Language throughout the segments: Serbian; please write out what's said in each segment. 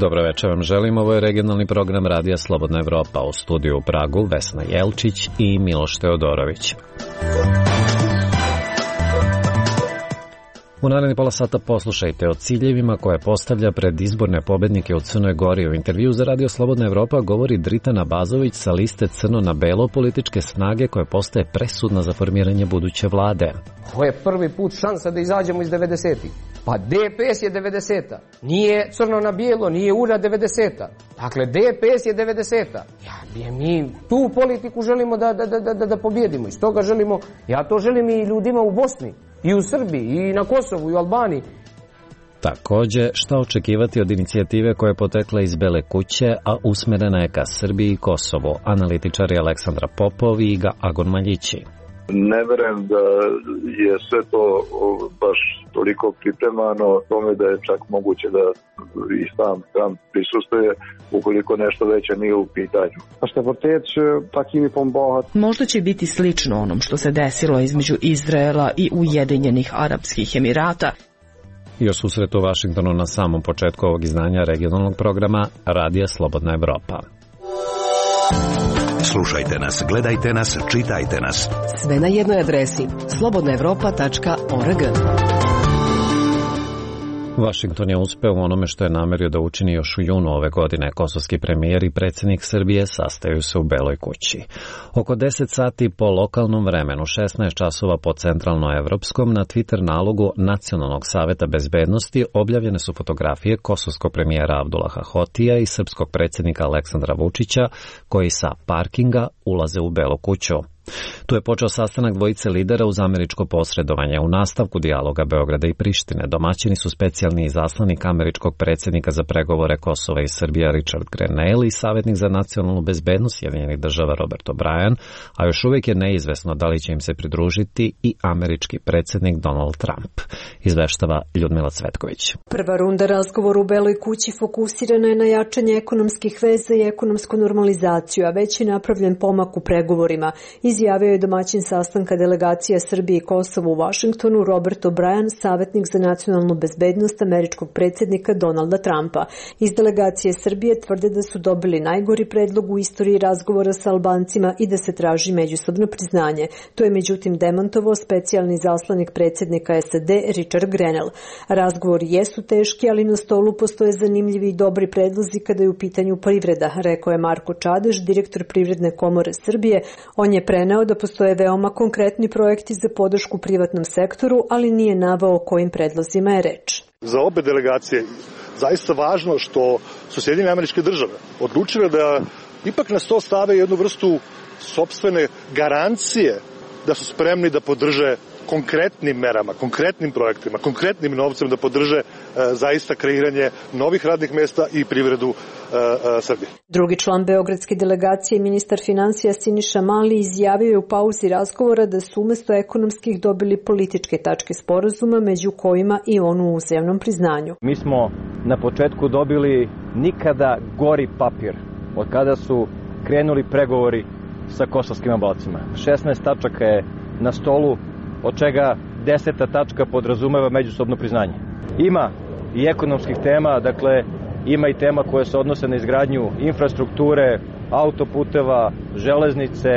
Dobro večer vam želim, ovo je regionalni program Radija Slobodna Evropa, u studiju u Pragu Vesna Jelčić i Miloš Teodorović. U naredni pola sata poslušajte o ciljevima koje postavlja pred izborne pobednike u Crnoj Gori. U intervju za Radio Slobodna Evropa govori Dritana Bazović sa liste Crno na belo političke snage koja postaje presudna za formiranje buduće vlade. Ovo je prvi put šansa da izađemo iz 90-ih. Pa DPS je 90-a. Nije crno na bijelo, nije URA 90-a. Dakle, DPS je 90-a. Mi tu politiku želimo da pobjedimo. Iz toga želimo, ja to želim i ljudima u Bosni, i u Srbiji, i na Kosovu, i u Albaniji. Takođe, šta očekivati od inicijative koja je potekla iz Bele kuće, a usmerena je ka Srbiji i Kosovu? Analitičari Aleksandra Popov i Iga Agon Maljići. Ne verujem da je sve to baš toliko pripremano tome da je čak moguće da i sam Trump prisustuje ukoliko nešto veće nije u pitanju. Možda će biti slično onom što se desilo između Izraela i Ujedinjenih Arapskih Emirata. I o susretu u Vašingtonu na samom početku ovog izdanja regionalnog programa Radija Slobodna Evropa. Slušajte nas, gledajte nas, čitajte nas. Sve na jednoj adresi slobodnaevropa.org. Washington je uspeo u onome što je namerio da učini još u junu ove godine. Kosovski premijer i predsjednik Srbije sastaju se u Beloj kući. Oko 10 sati po lokalnom vremenu, 16 časova po centralnoevropskom, na Twitter nalogu Nacionalnog saveta bezbednosti objavljene su fotografije kosovskog premijera Abdullaha Hotija i srpskog predsjednika Aleksandra Vučića, koji sa parkinga ulaze u Belu kuću. Tu je počeo sastanak dvojice lidera uz američko posredovanje. U nastavku dijaloga Beograda i Prištine domaćini su specijalni izaslanik američkog predsjednika za pregovore Kosova i Srbija Richard Grenell i savjetnik za nacionalnu bezbednost Sjedinjenih država Robert O'Brien, a još uvijek je neizvesno da li će im se pridružiti i američki predsjednik Donald Trump. Izveštava Ljudmila Cvetković. Prva runda razgovora u Beloj kući fokusirana je na jačanje ekonomskih veza i ekonomsku normalizaciju, a već je napravljen pomak u pregovorima. Izjavio je domaćin sastanka delegacija Srbije i Kosova u Vašingtonu Robert O'Brien, savjetnik za nacionalnu bezbednost američkog predsjednika Donalda Trumpa. Iz delegacije Srbije tvrde da su dobili najgori predlog u istoriji razgovora sa Albancima i da se traži međusobno priznanje. To je međutim demantovao specijalni zaslanik predsjednika SAD Richard Grenell. Razgovori jesu teški, ali na stolu postoje zanimljivi i dobri predlozi kada je u pitanju privreda, rekao je Marko Čadež, direktor Privredne komore Srbije. On je preneo da postoje veoma konkretni projekti za podršku privatnom sektoru, ali nije naveo o kojim predlozima je reč. Za obe delegacije zaista važno što su Sjedinjene Američke Države odlučile da ipak na sto stave jednu vrstu sopstvene garancije da su spremni da podrže konkretnim merama, konkretnim projektima, konkretnim novcem da podrže zaista kreiranje novih radnih mjesta i privredu Srbije. Drugi član beogradske delegacije, ministar finansija Siniša Mali, izjavio je u pauzi razgovora da su umjesto ekonomskih dobili političke tačke sporazuma, među kojima i onu u uzajamnom priznanju. Mi smo na početku dobili nikada gori papir od kada su krenuli pregovori sa kosovskim Albancima. 16 tačaka je na stolu, od čega 10. tačka podrazumeva međusobno priznanje. Ima i ekonomskih tema, dakle ima i tema koje se odnose na izgradnju infrastrukture, autoputeva, železnice,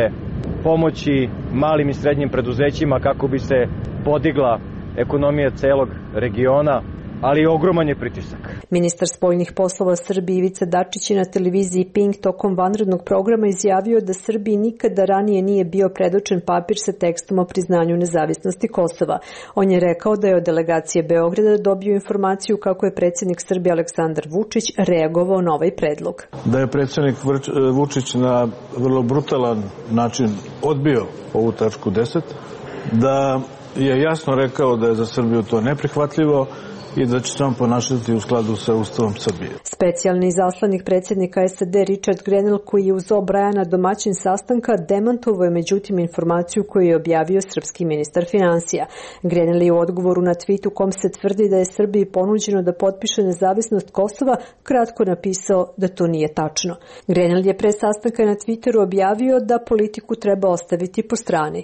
pomoći malim i srednjim preduzećima kako bi se podigla ekonomija celog regiona, ali ogroman je pritisak. Ministar spoljnih poslova Srbije Ivica Dačić je na televiziji Pink tokom vanrednog programa izjavio da Srbiji nikada ranije nije bio predočen papir sa tekstom o priznanju nezavisnosti Kosova. On je rekao da je od delegacije Beograda dobio informaciju kako je predsjednik Srbije Aleksandar Vučić reagovao na ovaj predlog. Da je predsjednik Vučić na vrlo brutalan način odbio ovu tačku 10, da je jasno rekao da je za Srbiju to neprihvatljivo i da će se on ponašati u skladu sa Ustavom Srbije. Specijalni izaslanik predsjednika SAD Richard Grenell, koji je uz O'Briena domaćin sastanka, demantovao je međutim informaciju koju je objavio srpski ministar finansija. Grenell je u odgovoru na tweetu kom se tvrdi da je Srbiji ponuđeno da potpiše nezavisnost Kosova kratko napisao da to nije tačno. Grenell je pre sastanka na Twitteru objavio da politiku treba ostaviti po strani.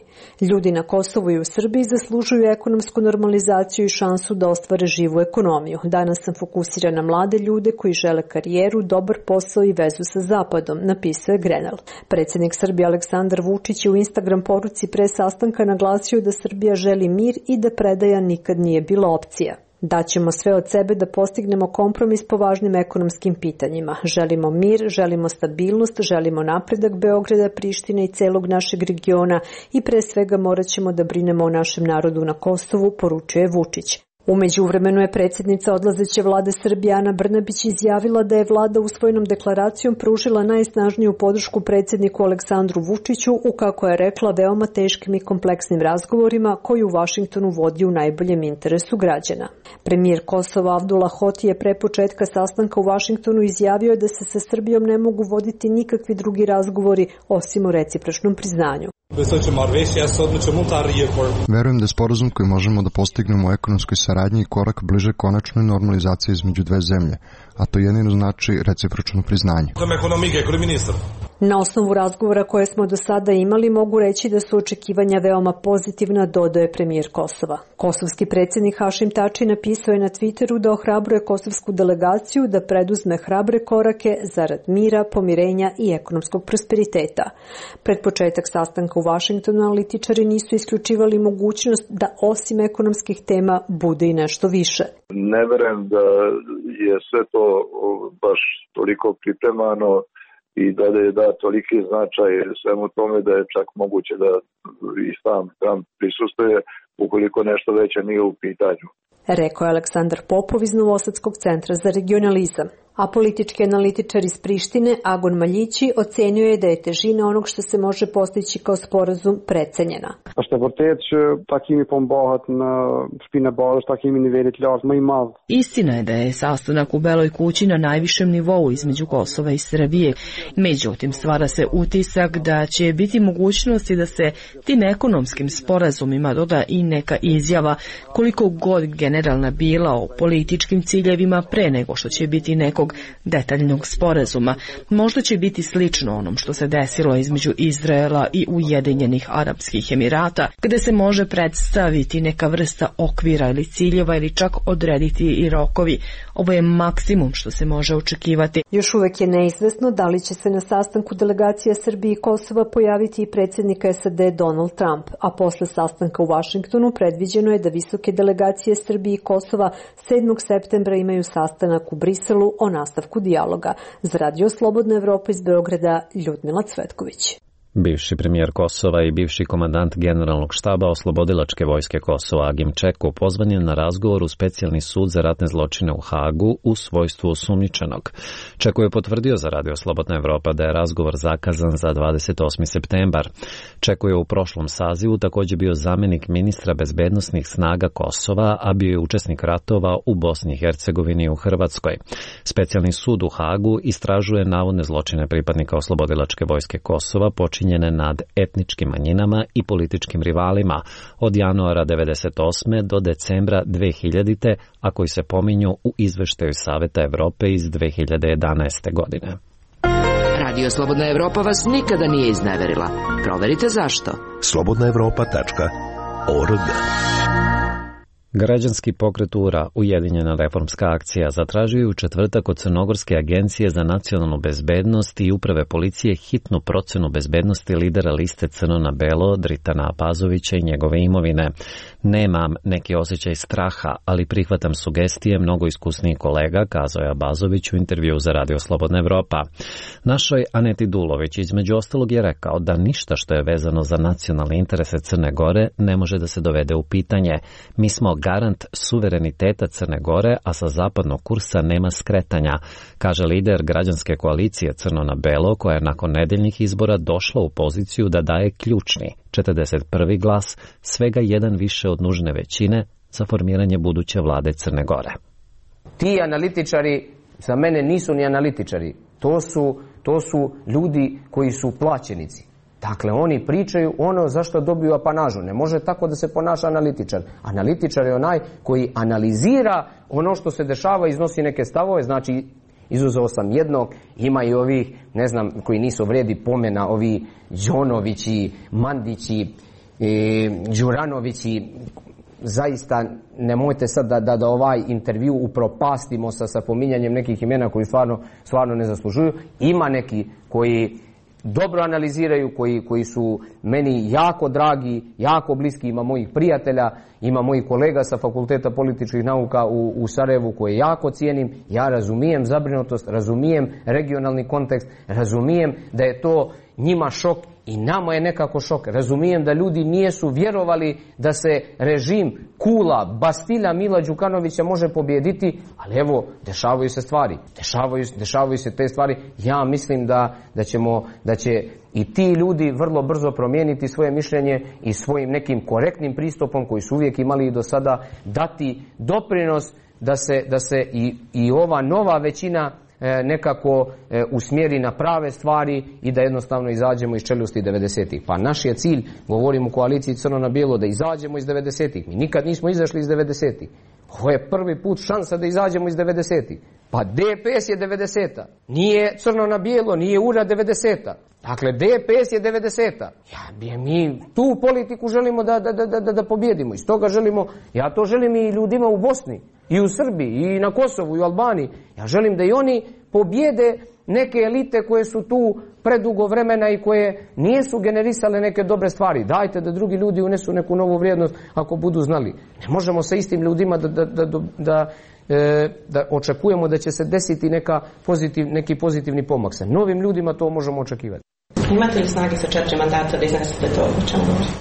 Ljudi na Kosovu i u Srbiji zaslužuju ekonomsku normalizaciju i šansu da ostvare živu ekonomiju. Danas sam fokusiran na mlade ljude koji žele karijeru, dobar posao i vezu sa Zapadom, napisao je Grenell. Predsjednik Srbije Aleksandar Vučić je u Instagram poruci pre sastanka naglasio da Srbija želi mir i da predaja nikad nije bila opcija. Daćemo sve od sebe da postignemo kompromis po važnim ekonomskim pitanjima. Želimo mir, želimo stabilnost, želimo napredak Beograda, Prištine i celog našeg regiona i pre svega morat ćemo da brinemo o našem narodu na Kosovu, poručuje Vučić. U međuvremenu je predsjednica odlazeće vlade Srbije Ana Brnabić izjavila da je vlada usvojenom deklaracijom pružila najsnažniju podršku predsjedniku Aleksandru Vučiću u, kako je rekla, veoma teškim i kompleksnim razgovorima koji u Vašingtonu vodi u najboljem interesu građana. Premijer Kosova Abdullah Hoti je pre početka sastanka u Vašingtonu izjavio da se sa Srbijom ne mogu voditi nikakvi drugi razgovori osim o recipročnom priznanju. Verujem da je sporazum koji možemo da postignemo u ekonomskoj saradnji i korak bliže konačnoj normalizaciji između dve zemlje, a to jedino znači recipročno priznanje. Na osnovu razgovora koje smo do sada imali mogu reći da su očekivanja veoma pozitivna, dodaje premijer Kosova. Kosovski predsjednik Hašim Tači napisao je na Twitteru da ohrabruje kosovsku delegaciju da preduzme hrabre korake zarad mira, pomirenja i ekonomskog prosperiteta. Pred početak sastanka u Vašingtonu analitičari nisu isključivali mogućnost da osim ekonomskih tema bude i nešto više. Ne verujem da je sve to baš toliko pripremano i da je da toliki značaj svemu tome da je čak moguće da i sam Trump prisustuje ukoliko nešto veće nije u pitanju. Rekao je Aleksandar Popov iz Novosadskog centra za regionalizam. A politički analitičar iz Prištine, Agon Maljići, ocenio je da je težina onog što se može postići kao sporazum precenjena. Istina je da je sastanak u Beloj kući na najvišem nivou između Kosova i Srbije. Međutim, stvara se utisak da će biti mogućnosti da se tim ekonomskim sporazumima doda i neka izjava, koliko god generalna bila, o političkim ciljevima pre nego što će biti nekog detaljnog sporazuma. Možda će biti slično onom što se desilo između Izraela i Ujedinjenih Arapskih Emirata, gde se može predstaviti neka vrsta okvira ili ciljeva ili čak odrediti i rokovi. Ovo je maksimum što se može očekivati. Još uvek je neizvesno da li će se na sastanku delegacija Srbije i Kosova pojaviti i predsjednik SAD Donald Trump, a posle sastanka u Vašingtonu predviđeno je da visoke delegacije Srbije i Kosova 7. septembra imaju sastanak u Briselu o nastavku dijaloga. Za Radio Slobodna Evropa iz Beograda, Ljudmila Cvetković. Bivši premijer Kosova i bivši komandant generalnog štaba Oslobodilačke vojske Kosova Agim Čeku pozvan je na razgovor u specijalni sud za ratne zločine u Hagu u svojstvu osumnjičenog. Čeku je potvrdio za Radio Slobodna Evropa da je razgovor zakazan za 28. septembar. Čeku je u prošlom sazivu također bio zamjenik ministra bezbednosnih snaga Kosova, a bio je učesnik ratova u Bosni i Hercegovini i u Hrvatskoj. Specijalni sud u Hagu istražuje navodne zločine pripadnika Oslobodilačke vojske Kosova počinjene nad etničkim manjinama i političkim rivalima od januara 1998. do decembra 2000. a koji se pominju u izveštaju Saveta Evrope iz 2011. godine. Radio Slobodna Evropa vas nikada nije izneverila. Proverite zašto. slobodnaevropa.org. Građanski pokret URA, Ujedinjena reformska akcija, zatražio je u četvrtak od Crnogorske agencije za nacionalnu bezbednost i uprave policije hitnu procenu bezbednosti lidera liste Crno na belo Dritana Apazovića i njegove imovine. Nemam neki osjećaj straha, ali prihvatam sugestije mnogo iskusnijih kolega, kazao je Abazović u intervju za Radio Slobodna Evropa. Našoj Aneti Dulović između ostalog je rekao da ništa što je vezano za nacionalne interese Crne Gore ne može da se dovede u pitanje. Mi smo garant suvereniteta Crne Gore, a sa zapadnog kursa nema skretanja, kaže lider građanske koalicije Crno na belo, koja je nakon nedeljnih izbora došla u poziciju da daje ključni 41. glas, svega jedan više od nužne većine za formiranje buduće vlade Crne Gore. Ti analitičari za mene nisu ni analitičari, to su ljudi koji su plaćenici. Dakle, oni pričaju ono zašto dobiju apanažu. Ne može tako da se ponaša analitičar. Analitičar je onaj koji analizira ono što se dešava, iznosi neke stavove, znači izuzeo sam jednog, ima i ovih, ne znam, koji nisu vredi pomena, ovi Đonovići, Mandići, Đuranovići, zaista nemojte sad da ovaj intervju upropastimo sa pominjanjem nekih imena koji stvarno ne zaslužuju. Ima neki koji dobro analiziraju, koji su meni jako dragi, jako bliski, ima mojih prijatelja, ima mojih kolega sa Fakulteta političkih nauka u Sarajevu koje jako cijenim. Ja razumijem zabrinutost, razumijem regionalni kontekst, razumijem da je to njima šok i nama je nekako šok. Razumijem da ljudi nisu vjerovali da se režim Kula, Bastilja Mila Đukanovića može pobijediti, ali evo, dešavaju se stvari. Dešavaju se te stvari. Ja mislim da će i ti ljudi vrlo brzo promijeniti svoje mišljenje i svojim nekim korektnim pristupom koji su uvijek imali i do sada dati doprinos da se i ova nova većina nekako usmjeri na prave stvari i da jednostavno izađemo iz čeljusti 90-ih. Pa naš je cilj, govorim u koaliciji Crno na bijelo, da izađemo iz 90-ih. Mi nikad nismo izašli iz 90-ih. Ovo je prvi put šansa da izađemo iz 90-ih. Pa DPS je 90-a. Nije Crno na bijelo, nije URA 90-a. Dakle, DPS je 90-a. Mi tu politiku želimo da pobjedimo. Iz toga želimo, ja to želim i ljudima u Bosni, i u Srbiji, i na Kosovu, i u Albaniji. Ja želim da i oni pobjede neke elite koje su tu predugo vremena i koje nisu generisale neke dobre stvari. Dajte da drugi ljudi unesu neku novu vrijednost ako budu znali. Ne možemo sa istim ljudima da očekujemo da će se desiti neki pozitivni pomak. Sa novim ljudima to možemo očekivati. Imate li snage sa 4 mandata da iznesete to o čemu govorite?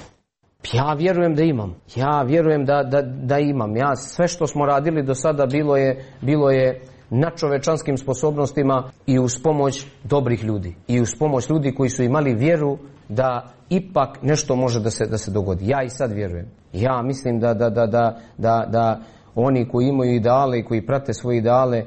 Ja vjerujem da imam. Ja vjerujem da imam. Ja sve što smo radili do sada bilo je na čovečanskim sposobnostima i uz pomoć dobrih ljudi. I uz pomoć ljudi koji su imali vjeru da ipak nešto može da se dogodi. Ja i sad vjerujem. Ja mislim da oni koji imaju ideale i koji prate svoje ideale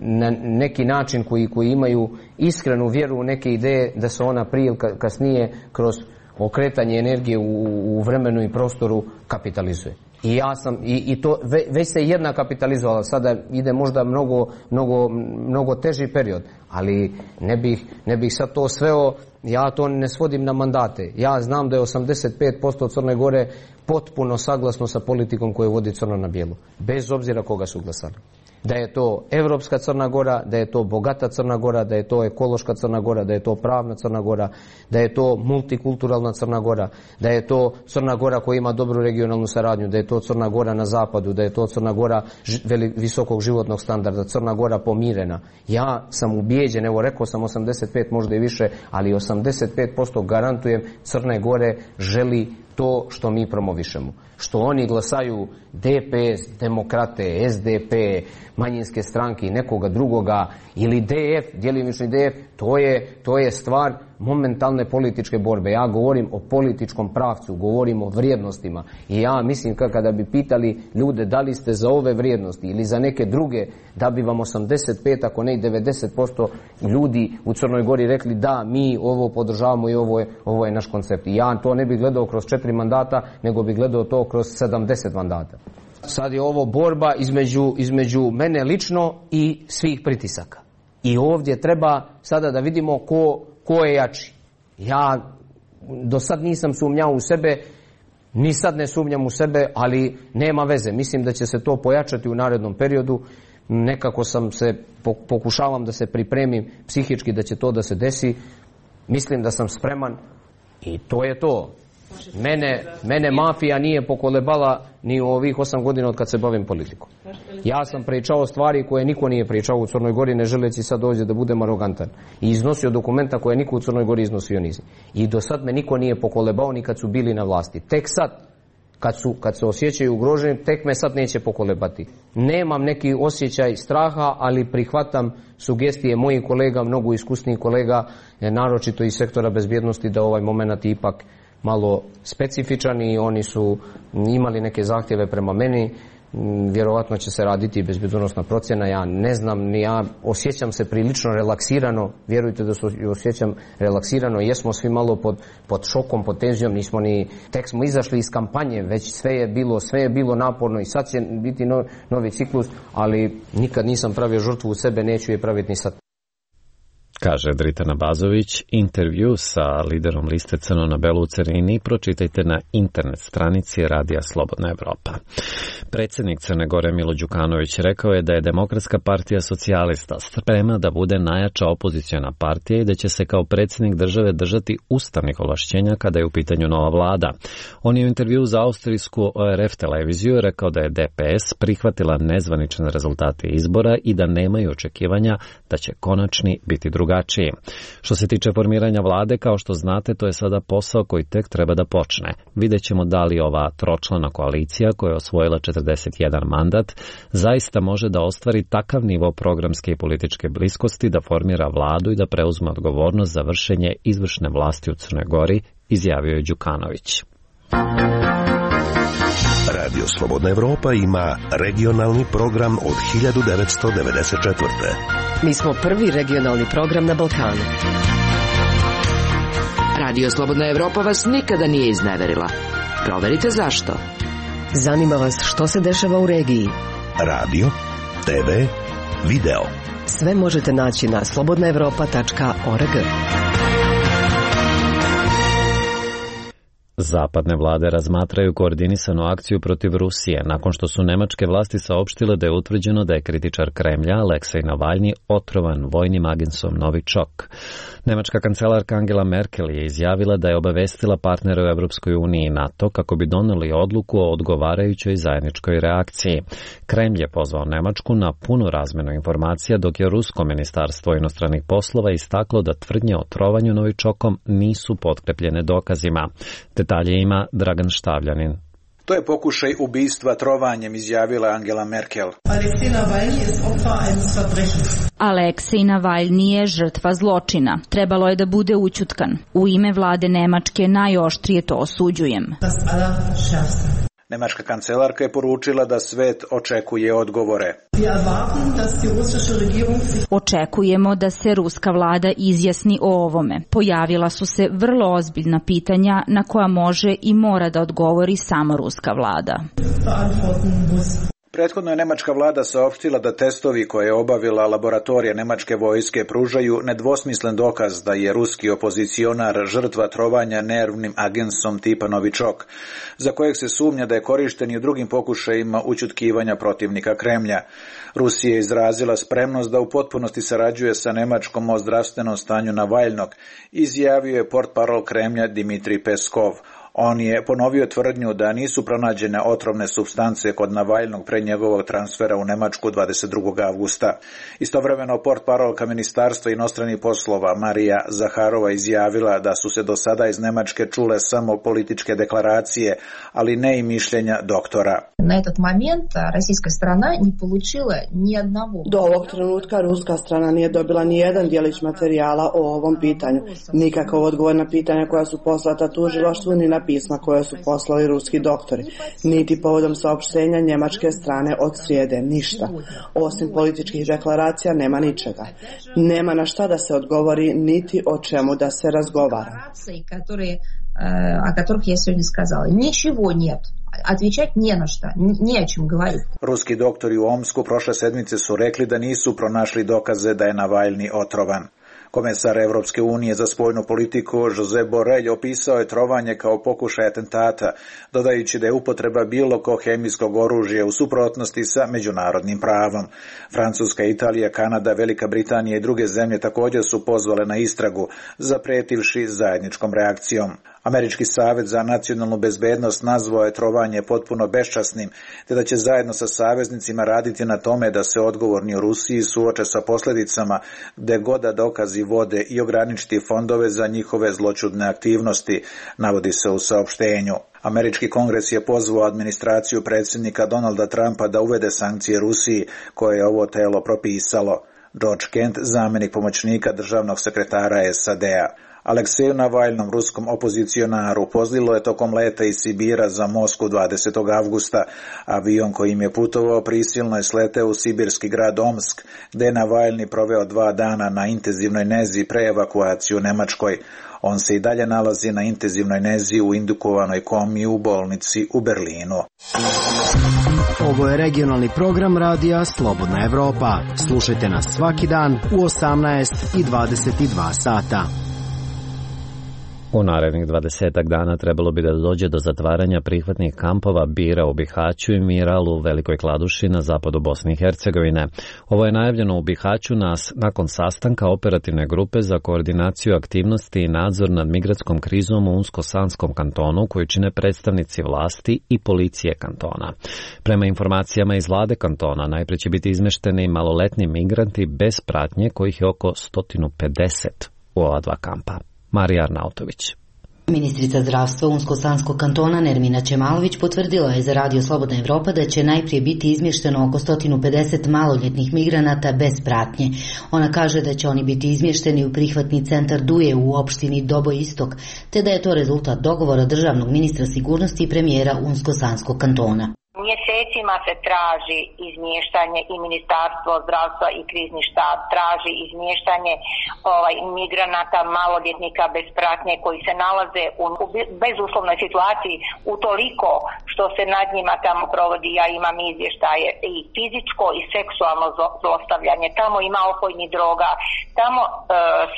na neki način koji imaju iskrenu vjeru u neke ideje, da se ona prije ili kasnije kroz okretanje energije u vremenu i prostoru kapitalizuje. I ja sam, i to već se jedna kapitalizovala, sada ide možda mnogo teži period, ali ne bih sad to sveo, ja to ne svodim na mandate. Ja znam da je 85% Crne Gore potpuno saglasno sa politikom koju vodi Crno na bijelo, bez obzira koga su glasali. Da je to evropska Crna Gora, da je to bogata Crna Gora, da je to ekološka Crna Gora, da je to pravna Crna Gora, da je to multikulturalna Crna Gora, da je to Crna Gora koja ima dobru regionalnu saradnju, da je to Crna Gora na zapadu, da je to Crna Gora visokog životnog standarda, Crna Gora pomirena. Ja sam ubijeđen, evo rekao sam 85, možda i više, ali 85% garantujem Crne Gore želi to što mi promovišemo. Što oni glasaju DPS, demokrate, SDP, manjinske stranke i nekoga drugoga ili DF, djelimični DF, to je stvar momentalne političke borbe. Ja govorim o političkom pravcu, govorim o vrijednostima i ja mislim kada bi pitali ljude da li ste za ove vrijednosti ili za neke druge, da bi vam 85, ako ne i 90% ljudi u Crnoj Gori rekli da, mi ovo podržavamo i ovo je naš koncept. I ja to ne bih gledao kroz 4 mandata, nego bih gledao to kroz 70 mandata. Sad je ovo borba između mene lično i svih pritisaka. I ovdje treba sada da vidimo ko je jači. Ja do sad nisam sumnjao u sebe, ni sad ne sumnjam u sebe, ali nema veze. Mislim da će se to pojačati u narednom periodu. Nekako pokušavam da se pripremim psihički da će to da se desi. Mislim da sam spreman i to je to. Mene mafija nije pokolebala ni u ovih 8 godina od kad se bavim politikom. Ja sam pričao stvari koje niko nije pričao u Crnoj Gori, ne želeći sad ovdje da budem arogantan. I iznosio dokumenta koje niko u Crnoj Gori iznosio nizi. I do sad me niko nije pokolebao ni kad su bili na vlasti. Tek sad, kad se osjećaju ugroženi, tek me sad neće pokolebati. Nemam neki osjećaj straha, ali prihvatam sugestije mojih kolega, mnogo iskusnijih kolega, naročito iz sektora bezbjednosti, da ovaj moment ipak malo specifičan i oni su imali neke zahtjeve prema meni. Vjerovatno će se raditi bezbjednosna procjena, ja ne znam, ja osjećam se prilično relaksirano, vjerujte da se osjećam relaksirano, jesmo svi malo pod šokom, pod tenzijom, nismo tek smo izašli iz kampanje, već sve je bilo naporno i sad će biti novi ciklus, ali nikad nisam pravio žrtvu u sebe, neću je praviti ni sad. kaže Dritana Bazović. Intervju sa liderom liste Crno na belo u Cerini pročitajte na internet stranici Radija Slobodna Evropa. Predsjednik Crne Gore Milo Đukanović rekao je da je Demokratska partija socijalista spremna da bude najjača opoziciona partija i da će se kao predsjednik države držati ustavnih ovlašćenja kada je u pitanju nova vlada. On je u intervju za austrijsku ORF televiziju rekao da je DPS prihvatila nezvanične rezultate izbora i da nemaju očekivanja da će konačni biti drugačiji. Što se tiče formiranja vlade, kao što znate, to je sada posao koji tek treba da počne. Vidjet ćemo da li ova tročlana koalicija koja je osvojila 41 mandat zaista može da ostvari takav nivo programske i političke bliskosti da formira vladu i da preuzme odgovornost za vršenje izvršne vlasti u Crnoj Gori, izjavio je Đukanović. Radio Slobodna Evropa ima regionalni program od 1994. Mi smo prvi regionalni program na Balkanu. Radio Slobodna Evropa vas nikada nije izneverila. Proverite zašto. Zanima vas što se dešava u regiji. Radio, TV, video. Sve možete naći na slobodnaevropa.org. Zapadne vlade razmatraju koordinisanu akciju protiv Rusije nakon što su nemačke vlasti saopštile da je utvrđeno da je kritičar Kremlja Aleksej Navalni otrovan vojnim agensom Novičok. Nemačka kancelarka Angela Merkel je izjavila da je obavestila partnere u Evropskoj uniji i NATO kako bi doneli odluku o odgovarajućoj zajedničkoj reakciji. Kremlj je pozvao Nemačku na punu razmenu informacija, dok je Rusko ministarstvo inostranih poslova istaklo da tvrdnje o trovanju Novičokom nisu potkrepljene dokazima. Detalje ima Dragan Štavljanin. To je pokušaj ubistva trovanjem, izjavila Angela Merkel. Aleksej Navalni je žrtva zločina. Trebalo je da bude ućutkan. U ime vlade Nemačke najoštrije to osuđujem. Nemačka kancelarka je poručila da svet očekuje odgovore. Očekujemo da se ruska vlada izjasni o ovome. Pojavila su se vrlo ozbiljna pitanja na koja može i mora da odgovori samo ruska vlada. Prethodno je nemačka vlada saopštila da testovi koje je obavila laboratorija nemačke vojske pružaju nedvosmislen dokaz da je ruski opozicionar žrtva trovanja nervnim agensom tipa Novičok, za kojeg se sumnja da je korišten i u drugim pokušajima ućutkivanja protivnika Kremlja. Rusija je izrazila spremnost da u potpunosti sarađuje sa Nemačkom o zdravstvenom stanju Navalnog, izjavio je portparol Kremlja Dimitrij Peskov. On je ponovio tvrdnju da nisu pronađene otrovne supstance kod Navalnog pre njegovog transfera u Nemačku 22. avgusta. Istovremeno portparolka Ministarstva inostranih poslova Marija Zaharova izjavila da su se do sada iz Nemačke čule samo političke deklaracije, ali ne i mišljenja doktora. Na этот момент российская страна не получила ни одного. Do ovog trenutka ruska strana nije dobila ni jedan djelić materijala o ovom pitanju. Nikakav odgovor na pitanja koja su poslata tužilaštvu ni na pisma koje su poslali ruski doktori, niti povodom saopštenja njemačke strane od srijede, ništa. Osim političkih deklaracija nema ničega. Nema na šta da se odgovori, niti o čemu da se razgovara. О которых я сегодня сказала. Ничего нет. Отвечать не на что, не о чем говорить. Ruski doktori u Omsku prošle sedmice su rekli da nisu pronašli dokaze da je Navalni otrovan. Komesar Evropske unije za spoljnu politiku Josep Borrell opisao je trovanje kao pokušaj atentata, dodajući da je upotreba bilo kog hemijskog oružja u suprotnosti sa međunarodnim pravom. Francuska, Italija, Kanada, Velika Britanija i druge zemlje također su pozvale na istragu, zapretivši zajedničkom reakcijom. Američki savet za nacionalnu bezbednost nazvao je trovanje potpuno beščasnim, te da će zajedno sa saveznicima raditi na tome da se odgovorni u Rusiji suoče sa posljedicama gde god da dokazi vode i ograničiti fondove za njihove zloćudne aktivnosti, navodi se u saopštenju. Američki kongres je pozvao administraciju predsjednika Donalda Trumpa da uvede sankcije Rusiji, koje je ovo telo propisalo. George Kent, zamjenik pomoćnika državnog sekretara SAD-a. Alekseju Navaljnom, ruskom opozicionaru, pozlilo je tokom leta iz Sibira za Moskvu 20. avgusta. Avion kojim je putovao prisilno je sleteo u sibirski grad Omsk, gde je Navaljni proveo 2 dana na intenzivnoj nezi pre evakuaciju u Nemačkoj. On se i dalje nalazi na intenzivnoj nezi u indukovanoj komi u bolnici u Berlinu. Ovo je regionalni program radija Slobodna Evropa. Slušajte nas svaki dan u 18 i 22 sata. U narednih 20 dana trebalo bi da dođe do zatvaranja prihvatnih kampova Bira u Bihaću i Miral u Velikoj Kladuši na zapadu Bosne i Hercegovine. Ovo je najavljeno u Bihaću nakon sastanka operativne grupe za koordinaciju aktivnosti i nadzor nad migratskom krizom u Unsko-Sanskom kantonu koju čine predstavnici vlasti i policije kantona. Prema informacijama iz vlade kantona, najpre će biti izmešteni maloletni migranti bez pratnje kojih je oko 150 u ova 2 kampa. Marija Arnautović. Ministrica zdravstva Unsko-Sanskog kantona Nermina Čemalović potvrdila je za Radio Slobodna Evropa da će najprije biti izmješteno oko 150 maloljetnih migranata bez pratnje. Ona kaže da će oni biti izmješteni u prihvatni centar Duje u opštini Doboj Istok, te da je to rezultat dogovora državnog ministra sigurnosti i premijera Unsko-Sanskog kantona. Mjesecima se traži izmještanje i Ministarstvo zdravstva i krizni štab traži izmještanje migranata, maloljetnika bez pratnje koji se nalaze u bezuslovnoj situaciji utoliko što se nad njima tamo provodi, ja imam izvještaje, i fizičko i seksualno zlostavljanje. Tamo ima opojnih droga, tamo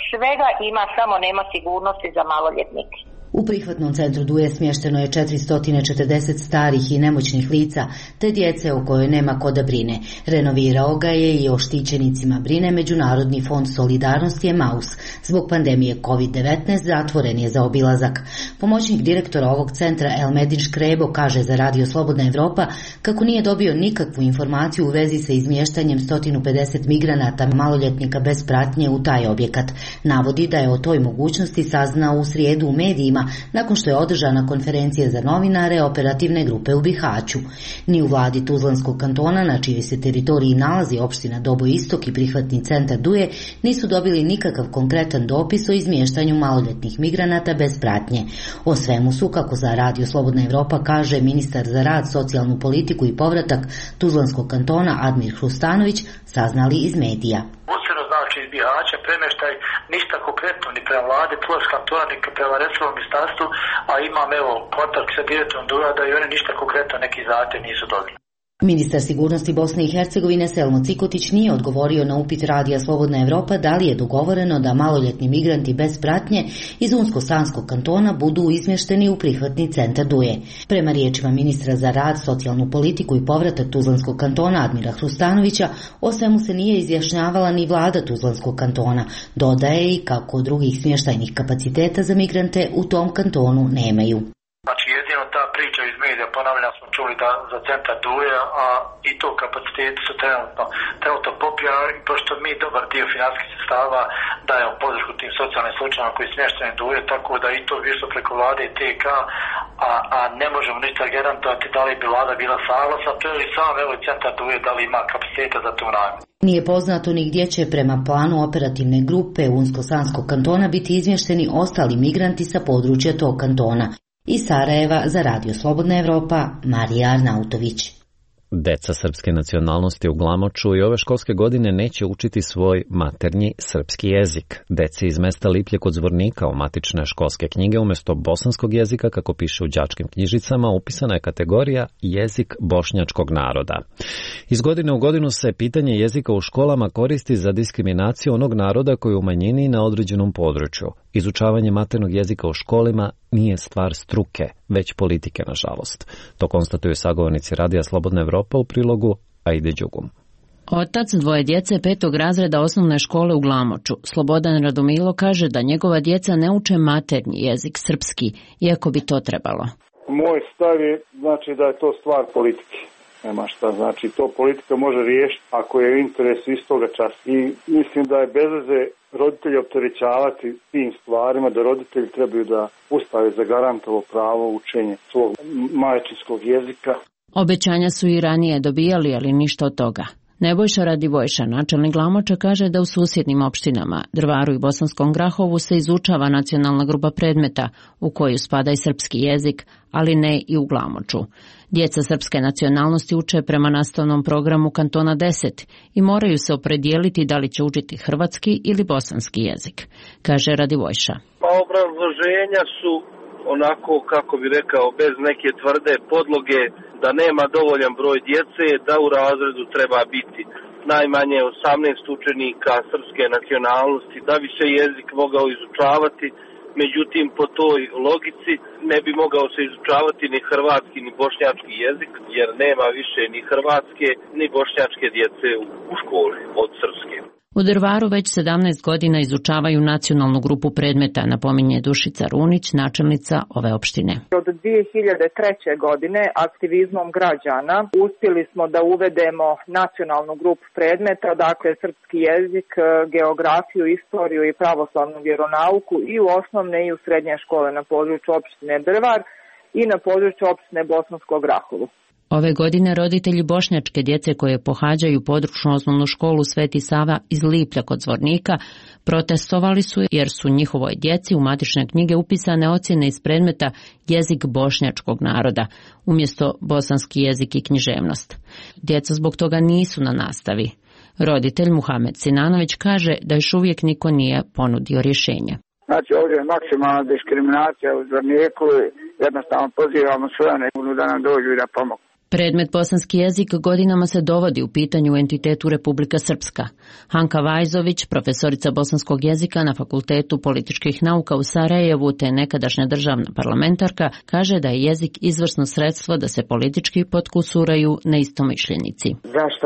svega ima, samo nema sigurnosti za maloljetnike. U prihvatnom centru Duje smješteno je 440 starih i nemoćnih lica, te djece o kojoj nema ko da brine. Renovirao ga je i o štićenicima brine Međunarodni fond solidarnosti Emaus. Zbog pandemije COVID-19 zatvoren je za obilazak. Pomoćnik direktora ovog centra Elmedin Škrebo kaže za Radio Slobodna Evropa kako nije dobio nikakvu informaciju u vezi sa izmještanjem 150 migranata maloljetnika bez pratnje u taj objekat. Navodi da je o toj mogućnosti saznao u srijedu u medijima nakon što je održana konferencija za novinare operativne grupe u Bihaću. Ni u vladi Tuzlanskog kantona, na čijoj se teritoriji nalazi opština Doboj Istok i prihvatni centar Duje, nisu dobili nikakav konkretan dopis o izmještanju maloljetnih migranata bez pratnje. O svemu su, kako za Radio Slobodna Evropa kaže ministar za rad, socijalnu politiku i povratak Tuzlanskog kantona Admir Hrustanović, saznali iz medija. Znači iz Bihaća premještaj ništa konkretno ni prema vlade Tuzlanskog kantona ni prema resornom ministarstvu, a imam kontakt sa direktorom Durada i oni ništa konkretno neki zahtjev nisu dobili. Ministar sigurnosti Bosne i Hercegovine Selmo Cikotić nije odgovorio na upit Radija Slobodna Evropa da li je dogovoreno da maloljetni migranti bez pratnje iz Unsko-Sanskog kantona budu izmješteni u prihvatni centar Duje. Prema riječima ministra za rad, socijalnu politiku i povratak Tuzlanskog kantona Admira Hrustanovića, o svemu se nije izjašnjavala ni vlada Tuzlanskog kantona. Dodaje i kako drugih smještajnih kapaciteta za migrante u tom kantonu nemaju. Znači jedino ta priča iz medija, ponavljam, smo čuli da za centar Duje, a i to kapaciteti su trenutno popijani, pošto mi dobar dio financijskih sredstava dajemo podršku tim socijalnim slučajima koji smještaju Duje, tako da i to više preko vlade i TK, a ne možemo ništa garantovati da li bi vlada bila saglasna, to je i sam centar Duje da li ima kapaciteta za tu namjenu. Nije poznato ni gdje će prema planu operativne grupe Unsko-Sanskog kantona biti izmješteni ostali migranti sa područja tog kantona. Iz Sarajeva za Radio Slobodna Evropa, Marija Arnautović. Deca srpske nacionalnosti u Glamoču i ove školske godine neće učiti svoj maternji srpski jezik. Deci iz mesta Liplje kod Zvornika u matične školske knjige umjesto bosanskog jezika, kako piše u đačkim knjižicama, upisana je kategorija jezik bošnjačkog naroda. Iz godine u godinu se pitanje jezika u školama koristi za diskriminaciju onog naroda koji je u manjini na određenom području. Izučavanje maternog jezika u školima nije stvar struke, već politike, nažalost. To konstatuju sagovornici Radija Slobodna Evropa u prilogu Aide Đugum. Otac dvoje djece 5. razreda osnovne škole u Glamoču, Slobodan Radomilo, kaže da njegova djeca ne uče maternji jezik srpski, iako bi to trebalo. Moj stav je da je to stvar politike. Nema šta, to politika može riješiti ako je interes istoga časa. I mislim da je bez veze roditelji opterećavati tim stvarima, da roditelji trebaju da Ustav je zagarantovao pravo učenja svog majčinskog jezika. Obećanja su i ranije dobijali, ali ništa od toga. Nebojša Radivojša, načelnik Glamoča, kaže da u susjednim opštinama Drvaru i Bosanskom Grahovu se izučava nacionalna grupa predmeta u koju spada i srpski jezik, ali ne i u Glamoču. Djeca srpske nacionalnosti uče prema nastavnom programu Kantona 10 i moraju se opredijeliti da li će učiti hrvatski ili bosanski jezik, kaže Radivojša. Pa obrazloženja su onako, kako bi rekao, bez neke tvrde podloge, da nema dovoljan broj djece, da u razredu treba biti najmanje 18 učenika srpske nacionalnosti, da bi se jezik mogao izučavati. Međutim, po toj logici ne bi mogao se izučavati ni hrvatski ni bošnjački jezik, jer nema više ni hrvatske ni bošnjačke djece u školi od srpske. U Drvaru već 17 godina izučavaju nacionalnu grupu predmeta, napominje Dušica Runić, načelnica ove opštine. Od 2003. godine aktivizmom građana uspjeli smo da uvedemo nacionalnu grupu predmeta, dakle srpski jezik, geografiju, istoriju i pravoslavnu vjeronauku i u osnovne i u srednje škole na području opštine Drvar i na području opštine Bosanskog Grahovu. Ove godine roditelji bošnjačke djece koje pohađaju područnu osnovnu školu Sveti Sava iz Liplja kod Zvornika protestovali su jer su njihovoj djeci u matične knjige upisane ocjene iz predmeta jezik bošnjačkog naroda umjesto bosanski jezik i književnost. Djeca zbog toga nisu na nastavi. Roditelj Muhamed Sinanović kaže da još uvijek niko nije ponudio rješenje. Znači ovdje je maksimalna diskriminacija u Zvorniku i jednostavno pozivamo sve da nam dođu i da pomogu. Predmet bosanski jezik godinama se dovodi u pitanju u entitetu Republika Srpska. Hanka Vajzović, profesorica bosanskog jezika na Fakultetu političkih nauka u Sarajevu te nekadašnja državna parlamentarka, kaže da je jezik izvrsno sredstvo da se politički potkusuraju neistomišljenici. Zašto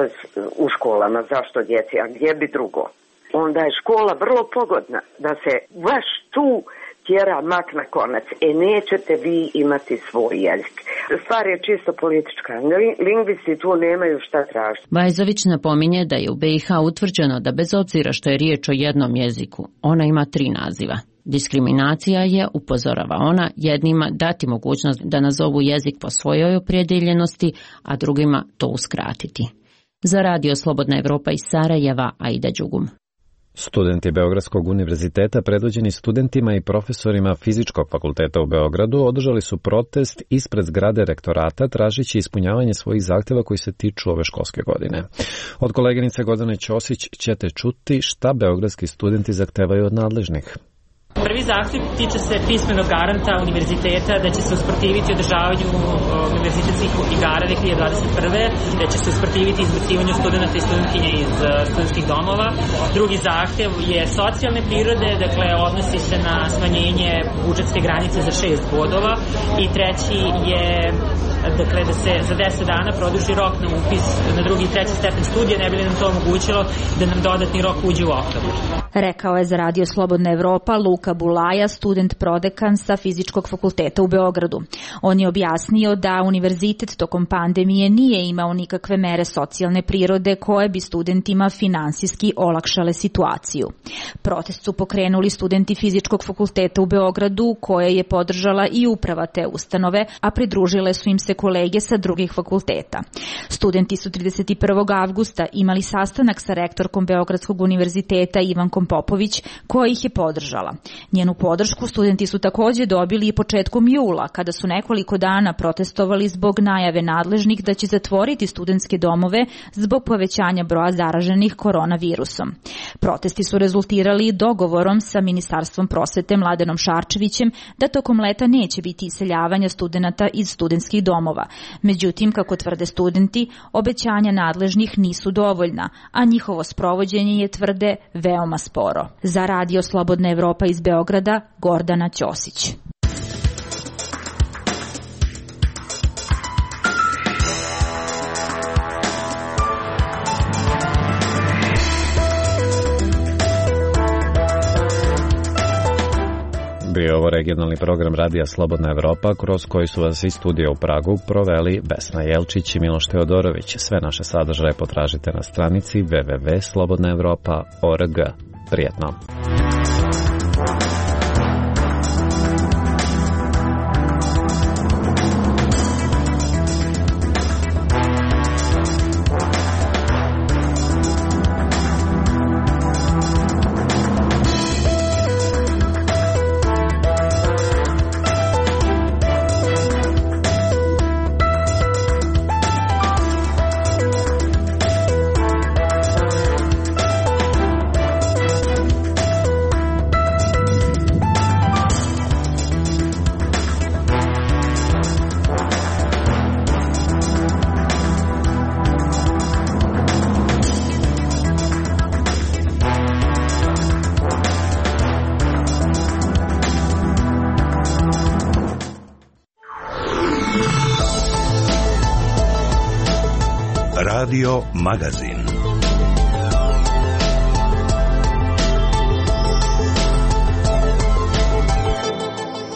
u školama, zašto djeci, a gdje bi drugo? Onda je škola vrlo pogodna da se baš tu tjera mak na konac. Nećete vi imati svoj jezik. Stvar je čisto politička. Lingvisti tu nemaju šta tražiti. Vajzović napominje da je u BiH utvrđeno da bez obzira što je riječ o jednom jeziku, ona ima 3 naziva. Diskriminacija je, upozorava ona, jednima dati mogućnost da nazovu jezik po svojoj opredjeljenosti, a drugima to uskratiti. Za Radio Slobodna Evropa iz Sarajeva, Aida Đugum. Studenti Beogradskog univerziteta, predvođeni studentima i profesorima Fizičkog fakulteta u Beogradu, održali su protest ispred zgrade rektorata tražeći ispunjavanje svojih zahtjeva koji se tiču ove školske godine. Od koleginice Gordane Ćosić ćete čuti šta beogradski studenti zahtevaju od nadležnih. Prvi zahtjev tiče se pismenog garanta univerziteta da će se usprotiviti održavanju univerzitetskih igara 2021. Da će se usprotiviti izbacivanju studenta i studentkinja iz studentskih domova. Drugi zahtjev je socijalne prirode, dakle odnosi se na smanjenje budžetske granice za 6 bodova. I treći je dakle da se za 10 dana produži rok na upis na drugi i treći stepen studija, ne bi li nam to omogućilo da nam dodatni rok uđe u oktobar. Rekao je za Radio Slobodna Evropa Luka Bulaja, student prodekan sa Fizičkog fakulteta u Beogradu. On je objasnio da univerzitet tokom pandemije nije imao nikakve mere socijalne prirode koje bi studentima finansijski olakšale situaciju. Protest su pokrenuli studenti Fizičkog fakulteta u Beogradu, koje je podržala i uprava te ustanove, a pridružile su im se kolege sa drugih fakulteta. Studenti su 31. avgusta imali sastanak sa rektorkom Beogradskog univerziteta Ivankom Popović, koja ih je podržala. Njenu podršku studenti su također dobili i početkom jula, kada su nekoliko dana protestovali zbog najave nadležnih da će zatvoriti studentske domove zbog povećanja broja zaraženih koronavirusom. Protesti su rezultirali dogovorom sa Ministarstvom prosvete Mladenom Šarčevićem da tokom leta neće biti iseljavanja studenata iz studentskih domova. Međutim, kako tvrde studenti, obećanja nadležnih nisu dovoljna, a njihovo sprovođenje je, tvrde, veoma sporo. Za Radio Slobodna Evropa iz Beograda, Gordana Ćosić. Bio je ovo regionalni program Radija Slobodna Evropa, kroz koji su vas iz studija u Pragu proveli Vesna Jelčić i Miloš Teodorović. Sve naše sadržaje potražite na stranici www.slobodnaevropa.org. Prijetno! Radio Magazin.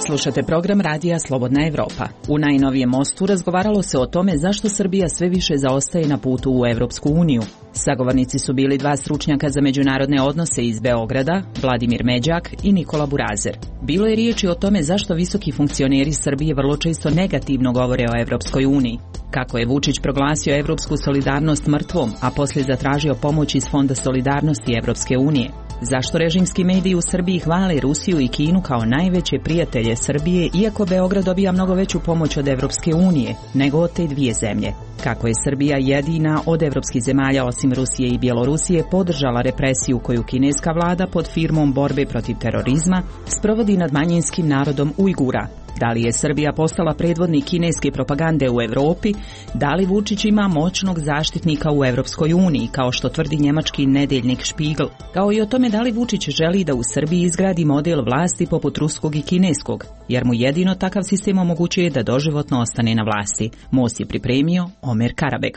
Slušate program Radija Slobodna Evropa. U najnovijem mostu razgovaralo se o tome zašto Srbija sve više zaostaje na putu u Evropsku uniju. Sagovornici su bili dva stručnjaka za međunarodne odnose iz Beograda, Vladimir Međak i Nikola Burazer. Bilo je riječi o tome zašto visoki funkcioneri Srbije vrlo često negativno govore o Evropskoj uniji. Kako je Vučić proglasio evropsku solidarnost mrtvom, a poslije zatražio pomoć iz Fonda solidarnosti Evropske unije. Zašto režimski mediji u Srbiji hvale Rusiju i Kinu kao najveće prijatelje Srbije, iako Beograd dobija mnogo veću pomoć od Evropske unije nego od te dvije zemlje? Kako je Srbija jedina od evropskih zemalja osim Rusije i Bjelorusije podržala represiju koju kineska vlada pod firmom borbe protiv terorizma sprovodi nad manjinskim narodom Ujgura? Da li je Srbija postala predvodnik kineske propagande u Evropi? Da li Vučić ima moćnog zaštitnika u Evropskoj uniji, kao što tvrdi njemački nedeljnik Spiegel? Kao i o tome da li Vučić želi da u Srbiji izgradi model vlasti poput ruskog i kineskog, jer mu jedino takav sistem omogućuje da doživotno ostane na vlasti. Most je pripremio Omer Karabeg.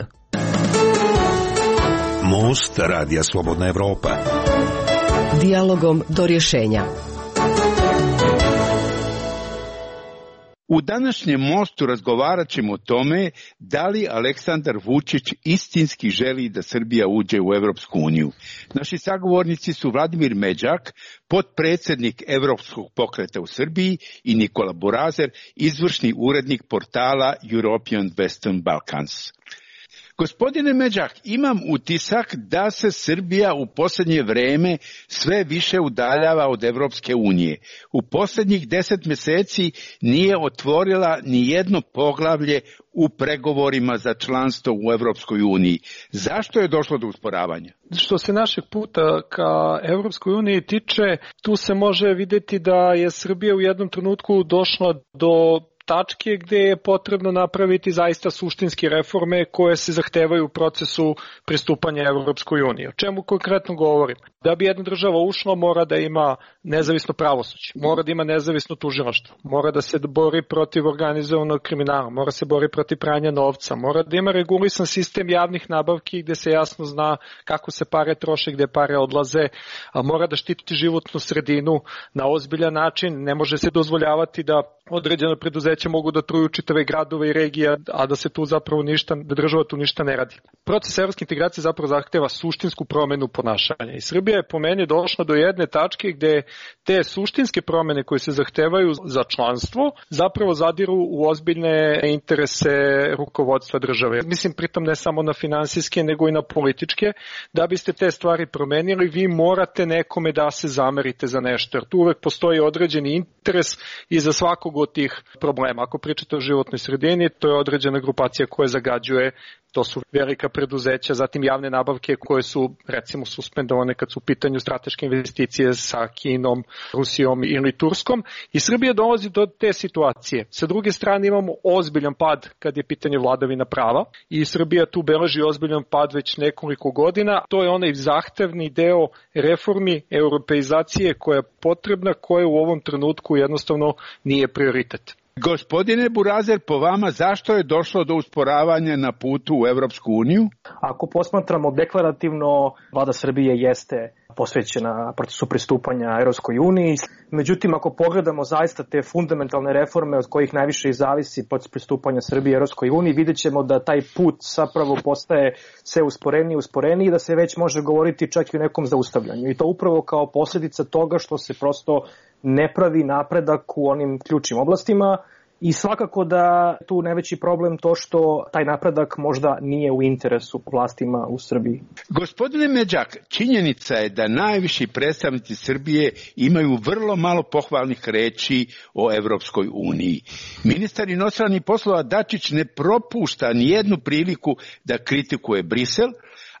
Most Radija Slobodna Evropa. Dijalogom do rješenja. U današnjem mostu razgovarat ćemo o tome da li Aleksandar Vučić istinski želi da Srbija uđe u Evropsku uniju. Naši sagovornici su Vladimir Međak, potpredsjednik Evropskog pokreta u Srbiji, i Nikola Burazer, izvršni urednik portala European Western Balkans. Gospodine Međak, imam utisak da se Srbija u posljednje vrijeme sve više udaljava od Evropske unije. U posljednjih 10 mjeseci nije otvorila ni jedno poglavlje u pregovorima za članstvo u Evropskoj uniji. Zašto je došlo do usporavanja? Što se našeg puta ka Evropskoj uniji tiče, tu se može vidjeti da je Srbija u jednom trenutku došla do tačke gdje je potrebno napraviti zaista suštinske reforme koje se zahtevaju u procesu pristupanja Evropskoj uniji. O čemu konkretno govorim? Da bi jedna država ušla, mora da ima nezavisno pravosuđe, mora da ima nezavisno tužilaštvo, mora da se bori protiv organizovanog kriminala, mora se bori protiv pranja novca, mora da ima regulisan sistem javnih nabavki gdje se jasno zna kako se pare troše, gdje pare odlaze, mora da štiti životnu sredinu na ozbiljan način, ne može se dozvoljavati da određena preduzeća mogu da truju čitave gradove i regije, a da se tu zapravo da država tu ništa ne radi. Proces evropske integracije zapravo zahteva suštinsku promjenu ponašanja i Srbija je po meni došla do jedne tačke gdje te suštinske promjene koje se zahtevaju za članstvo zapravo zadiru u ozbiljne interese rukovodstva države. Mislim pritom ne samo na finansijske nego i na političke. Da biste te stvari promenili, vi morate nekome da se zamerite za nešto, jer tu uvek postoji određeni interes i za svakog od tih problema. Ako pričate o životnoj sredini, to je određena grupacija koja zagađuje, to su velika preduzeća, zatim javne nabavke koje su recimo suspendovane kad su u pitanju strateške investicije sa Kinom, Rusijom ili Turskom, i Srbija dolazi do te situacije. Sa druge strane imamo ozbiljan pad kad je pitanje vladavina prava i Srbija tu beleži ozbiljan pad već nekoliko godina. To je onaj zahtevni deo reformi, europeizacije koja je potrebna, koja u ovom trenutku jednostavno nije prioritet. Gospodine Burazer, po vama zašto je došlo do usporavanja na putu u Evropsku uniju? Ako posmatramo deklarativno, vlada Srbije jeste posvećena procesu pristupanja Evropskoj uniji. Međutim, ako pogledamo zaista te fundamentalne reforme od kojih najviše i zavisi proces pristupanja Srbije Evropskoj uniji, vidjet ćemo da taj put zapravo postaje sve usporeniji i da se već može govoriti čak i o nekom zaustavljanju. I to upravo kao posljedica toga što se prosto ne pravi napredak u onim ključnim oblastima. I svakako da tu najveći problem to što taj napredak možda nije u interesu vlastima u Srbiji. Gospodine Međak, činjenica je da najviši predstavnici Srbije imaju vrlo malo pohvalnih reči o Evropskoj uniji. Ministar inostranih poslova Dačić ne propušta nijednu priliku da kritikuje Brisel,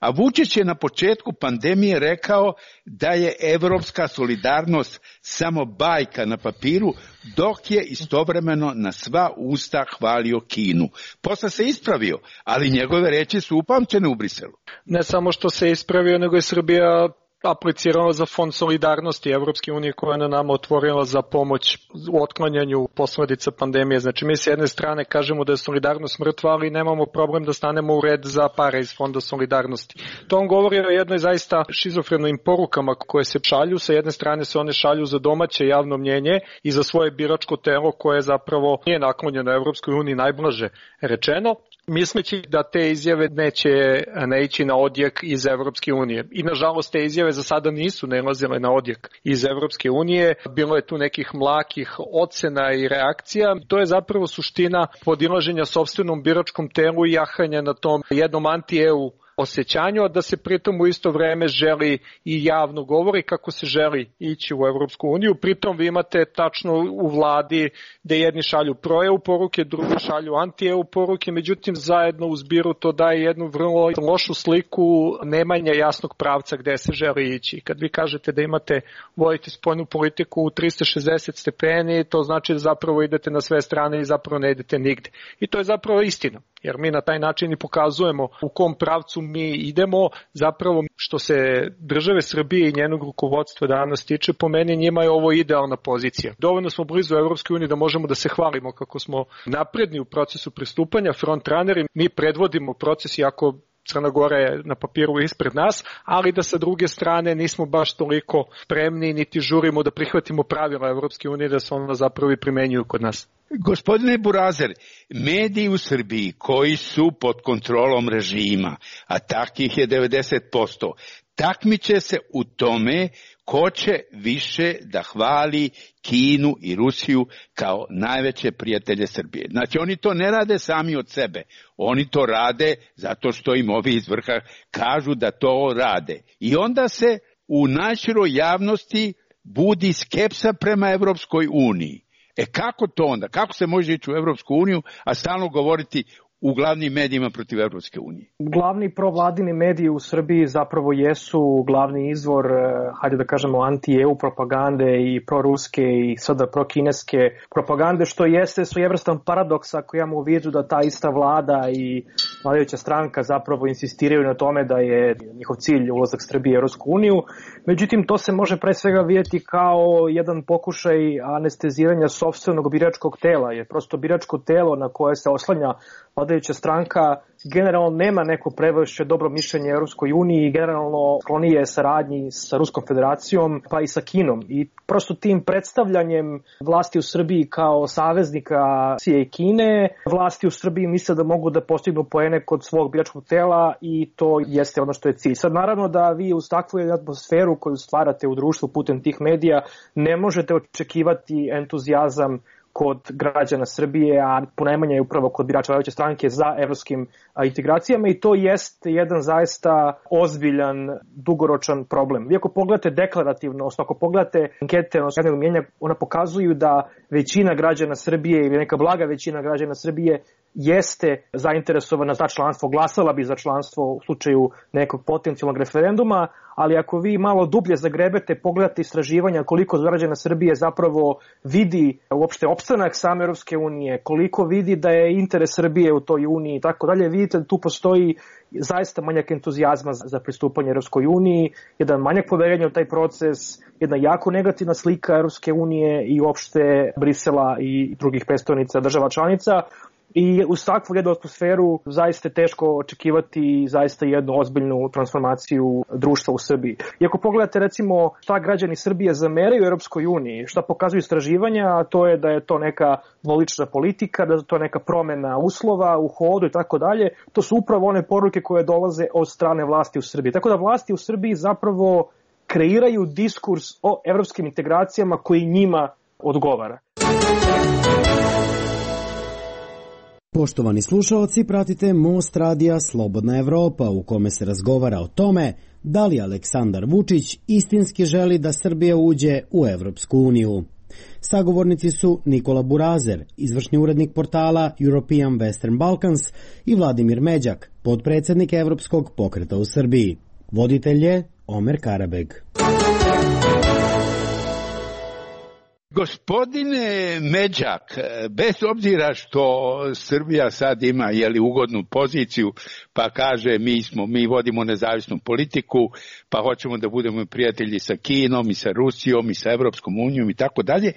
a Vučić je na početku pandemije rekao da je evropska solidarnost samo bajka na papiru, dok je istovremeno na sva usta hvalio Kinu. Posle se ispravio, ali njegove reči su upamćene u Briselu. Ne samo što se ispravio, nego je Srbija apliciralo za fond solidarnosti Evropske unije koja je na nama otvorila za pomoć u otklanjanju posledica pandemije. Znači mi s jedne strane kažemo da je solidarnost mrtva, ali nemamo problem da stanemo u red za pare iz fonda solidarnosti. To on govori o jednoj zaista šizofrenim porukama koje se šalju. Sa jedne strane se one šalju za domaće javno mnjenje i za svoje biračko telo koje zapravo nije naklonjeno Evropskoj uniji, najblaže rečeno, misleći da te izjave neće naići na odjek iz Evropske unije. I nažalost te izjave za sada nisu nailazile na odjek iz Evropske unije. Bilo je tu nekih mlakih ocena i reakcija. To je zapravo suština podilaženja sopstvenom biračkom telu i jahanja na tom jednom anti-EU osjećanju, a da se pritom u isto vreme želi i javno govori kako se želi ići u Evropsku uniju. Pritom vi imate tačno u vladi gde jedni šalju pro-EU poruke, drugi šalju anti-EU poruke, međutim zajedno u zbiru to daje jednu vrlo lošu sliku nemanja jasnog pravca gde se želi ići. Kad vi kažete da vodite spoljnu politiku u 360 stepeni, to znači da zapravo idete na sve strane i zapravo ne idete nigde. I to je zapravo istina, jer mi na taj način i pokazujemo u kom pravcu mi idemo, zapravo što se države Srbije i njenog rukovodstva danas tiče, po meni njima je ovo idealna pozicija. Dovoljno smo blizu Evropske unije da možemo da se hvalimo kako smo napredni u procesu pristupanja, frontrunneri, mi predvodimo proces iako Crna Gora je na papiru ispred nas, ali da sa druge strane nismo baš toliko spremni niti žurimo da prihvatimo pravila Evropske unije da se ona zapravo i primenjuju kod nas. Gospodine Burazer, mediji u Srbiji koji su pod kontrolom režima, a takvih je 90%, takmiče se u tome ko će više da hvali Kinu i Rusiju kao najveće prijatelje Srbije. Znači oni to ne rade sami od sebe, oni to rade zato što im ovi iz vrha kažu da to rade. I onda se u najširoj javnosti budi skepsa prema Evropskoj uniji. Kako to onda? Kako se može ići u Evropsku uniju, a stalno govoriti u glavnim medijima protiv Evropske unije? Glavni provladini mediji u Srbiji zapravo jesu glavni izvor, hajde da kažemo, anti-EU propagande i proruske i sada prokineske propagande, što jeste svojevrstan paradoks ako imamo u vidu da ta ista vlada i vladajuća stranka zapravo insistiraju na tome da je njihov cilj ulazak Srbije u Evropsku uniju. Međutim, to se može pre svega vidjeti kao jedan pokušaj anesteziranja sopstvenog biračkog tela, jer prosto biračko telo na koje se oslanja vladajuća stranka generalno nema neko previše dobro mišljenje Evropskoj uniji i generalno sklonije saradnji sa Ruskom federacijom pa i sa Kinom. I prosto tim predstavljanjem vlasti u Srbiji kao saveznika Rusije i Kine, vlasti u Srbiji misle da mogu da postignu poene kod svog biračkog tela i to jeste ono što je cilj. Sad naravno da vi uz takvu atmosferu koju stvarate u društvu putem tih medija ne možete očekivati entuzijazam kod građana Srbije, a ponajmanje je upravo kod birača vladajuće stranke za evropskim integracijama i to jeste jedan zaista ozbiljan, dugoročan problem. Vi ako pogledate deklarativno, ako pogledate ankete javnog mnjenja, ona pokazuju da većina građana Srbije ili neka blaga većina građana Srbije jeste zainteresovana za članstvo, glasala bi za članstvo u slučaju nekog potencijalnog referenduma, ali ako vi malo dublje zagrebete, pogledate istraživanja koliko građana Srbije zapravo vidi uopšte opstanak same Evropske unije, koliko vidi da je interes Srbije u toj uniji i tako dalje, vidite da tu postoji zaista manjak entuzijazma za pristupanje Evropskoj uniji, jedan manjak poverenja u taj proces, jedna jako negativna slika Evropske unije i uopšte Brisela i drugih predstavnica država članica. I uz takvu jednu atmosferu zaista je teško očekivati zaista jednu ozbiljnu transformaciju društva u Srbiji. I ako pogledate recimo šta građani Srbije zameraju u Europskoj uniji, šta pokazuju istraživanja, to je da je to neka dvolična politika, da je to neka promena uslova u hodu i tako dalje, to su upravo one poruke koje dolaze od strane vlasti u Srbiji. Tako da vlasti u Srbiji zapravo kreiraju diskurs o evropskim integracijama koji njima odgovara. Poštovani slušalci, pratite Most radija Slobodna Evropa u kome se razgovara o tome da li Aleksandar Vučić istinski želi da Srbija uđe u Evropsku uniju. Sagovornici su Nikola Burazer, izvršni urednik portala European Western Balkans i Vladimir Međak, potpredsednik Evropskog pokreta u Srbiji. Voditelj je Omer Karabeg. Gospodine Međak, bez obzira što Srbija sad ima ugodnu poziciju, pa kaže mi vodimo nezavisnu politiku, pa hoćemo da budemo prijatelji sa Kinom i sa Rusijom i sa Evropskom unijom i tako dalje,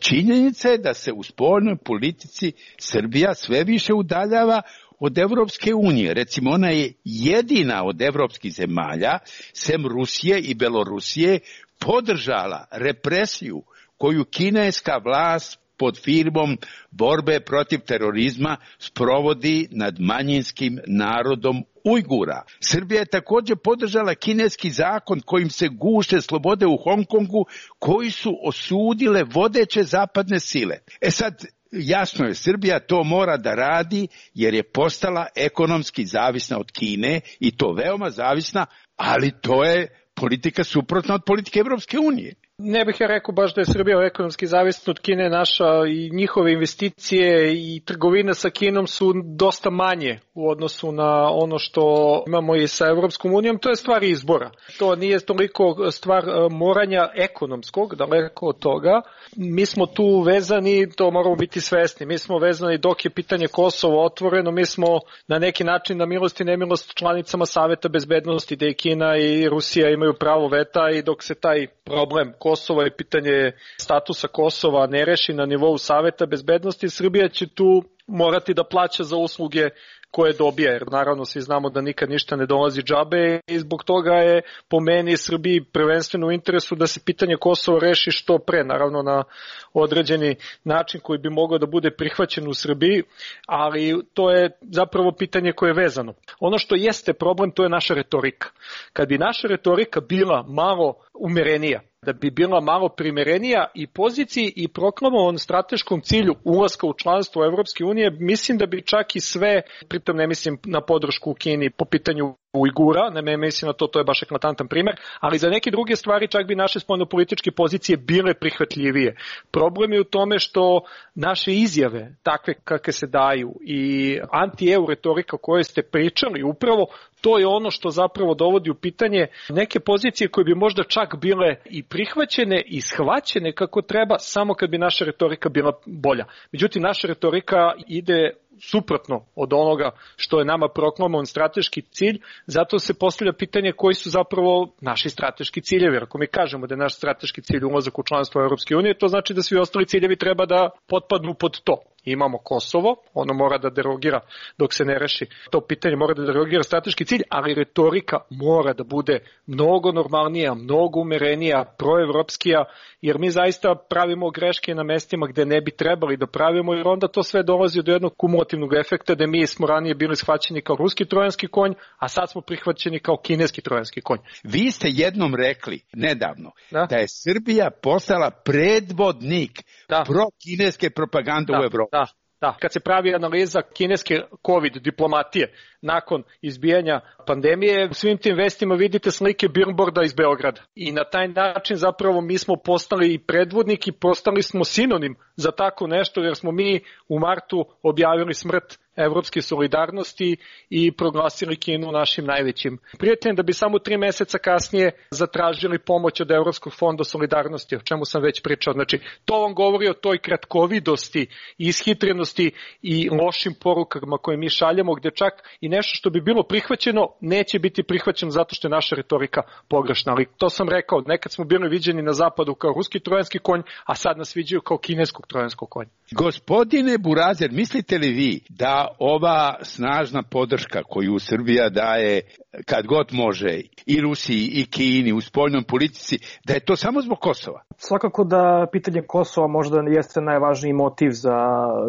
činjenica je da se u spoljnoj politici Srbija sve više udaljava od Evropske unije. Recimo, ona je jedina od evropskih zemalja, sem Rusije i Belorusije, podržala represiju koju kineska vlast pod firmom borbe protiv terorizma sprovodi nad manjinskim narodom Ujgura. Srbija je također podržala kineski zakon kojim se guše slobode u Hong Kongu, koji su osudile vodeće zapadne sile. Sad, jasno je, Srbija to mora da radi jer je postala ekonomski zavisna od Kine i to veoma zavisna, ali to je politika suprotna od politike Evropske unije. Ne bih ja rekao baš da je Srbija ekonomski zavisna od Kine, naša i njihove investicije i trgovina sa Kinom su dosta manje u odnosu na ono što imamo i sa Evropskom unijom. To je stvar izbora. To nije toliko stvar moranja ekonomskog, daleko od toga. Mi smo tu vezani, to moramo biti svesni. Mi smo vezani dok je pitanje Kosova otvoreno, mi smo na neki način na milost i nemilost članicama Saveta bezbednosti, da i Kina i Rusija imaju pravo veta, i dok se taj problem Kosova i pitanje statusa Kosova ne reši na nivou Saveta bezbednosti, Srbija će tu morati da plaća za usluge koje dobija, jer naravno svi znamo da nikad ništa ne dolazi džabe, i zbog toga je po meni Srbiji prvenstveno u interesu da se pitanje Kosova reši što pre, naravno na određeni način koji bi mogao da bude prihvaćen u Srbiji, ali to je zapravo pitanje koje je vezano. Ono što jeste problem, to je naša retorika. Kad bi naša retorika bila malo umerenija, da bi bila malo primerenija i poziciji i proklamovan strateškom cilju ulaska u članstvo Evropske unije, mislim da bi čak i sve, pritom ne mislim na podršku u Kini po pitanju Ujgura, ne mislim na to je baš eklatantan primer, ali za neke druge stvari čak bi naše spoljnopolitičke pozicije bile prihvatljivije. Problem je u tome što naše izjave, takve kakve se daju, i anti-EU retorika o kojoj ste pričali, upravo to je ono što zapravo dovodi u pitanje neke pozicije koje bi možda čak bile i prihvaćene i shvaćene kako treba, samo kad bi naša retorika bila bolja. Međutim, naša retorika ide suprotno od onoga što je nama proklamovan strateški cilj, zato se postavlja pitanje koji su zapravo naši strateški ciljevi. Ako mi kažemo da je naš strateški cilj ulazak u članstvo Evropske unije, to znači da svi ostali ciljevi treba da potpadnu pod to. Imamo Kosovo, ono mora da derogira dok se ne reši to pitanje, mora da derogira strateški cilj, ali retorika mora da bude mnogo normalnija, mnogo umerenija, proevropskija, jer mi zaista pravimo greške na mestima gde ne bi trebali da pravimo, jer onda to sve dolazi do jednog kumulativnog efekta da mi smo ranije bili shvaćeni kao ruski trojanski konj, a sad smo prihvaćeni kao kineski trojanski konj. Vi ste jednom rekli nedavno da je Srbija postala predvodnik pro-kineske propagande u Evropi. Da, kad se pravi analiza kineske COVID diplomatije nakon izbijanja pandemije, u svim tim vestima vidite slike billboarda iz Beograda. I na taj način zapravo mi smo postali i predvodnik i postali smo sinonim za tako nešto, jer smo mi u martu objavili smrt evropske solidarnosti i proglasili Kinu našim najvećim prijateljem, da bi samo 3 meseca kasnije zatražili pomoć od Evropskog fonda solidarnosti, o čemu sam već pričao. Znači, to vam govori o toj kratkovidosti, ishitrenosti i lošim porukama koje mi šaljemo, gde čak i nešto što bi bilo prihvaćeno neće biti prihvaćeno zato što je naša retorika pogrešna. Ali to sam rekao, nekad smo bili viđeni na zapadu kao ruski trojanski konj, a sad nas viđaju kao kineskog trojanskog konja. Gospodine Burazer, mislite li vi da ova snažna podrška koju Srbija daje kad god može i Rusiji i Kini u spoljnoj politici, da je to samo zbog Kosova? Svakako da pitanje Kosova možda jeste najvažniji motiv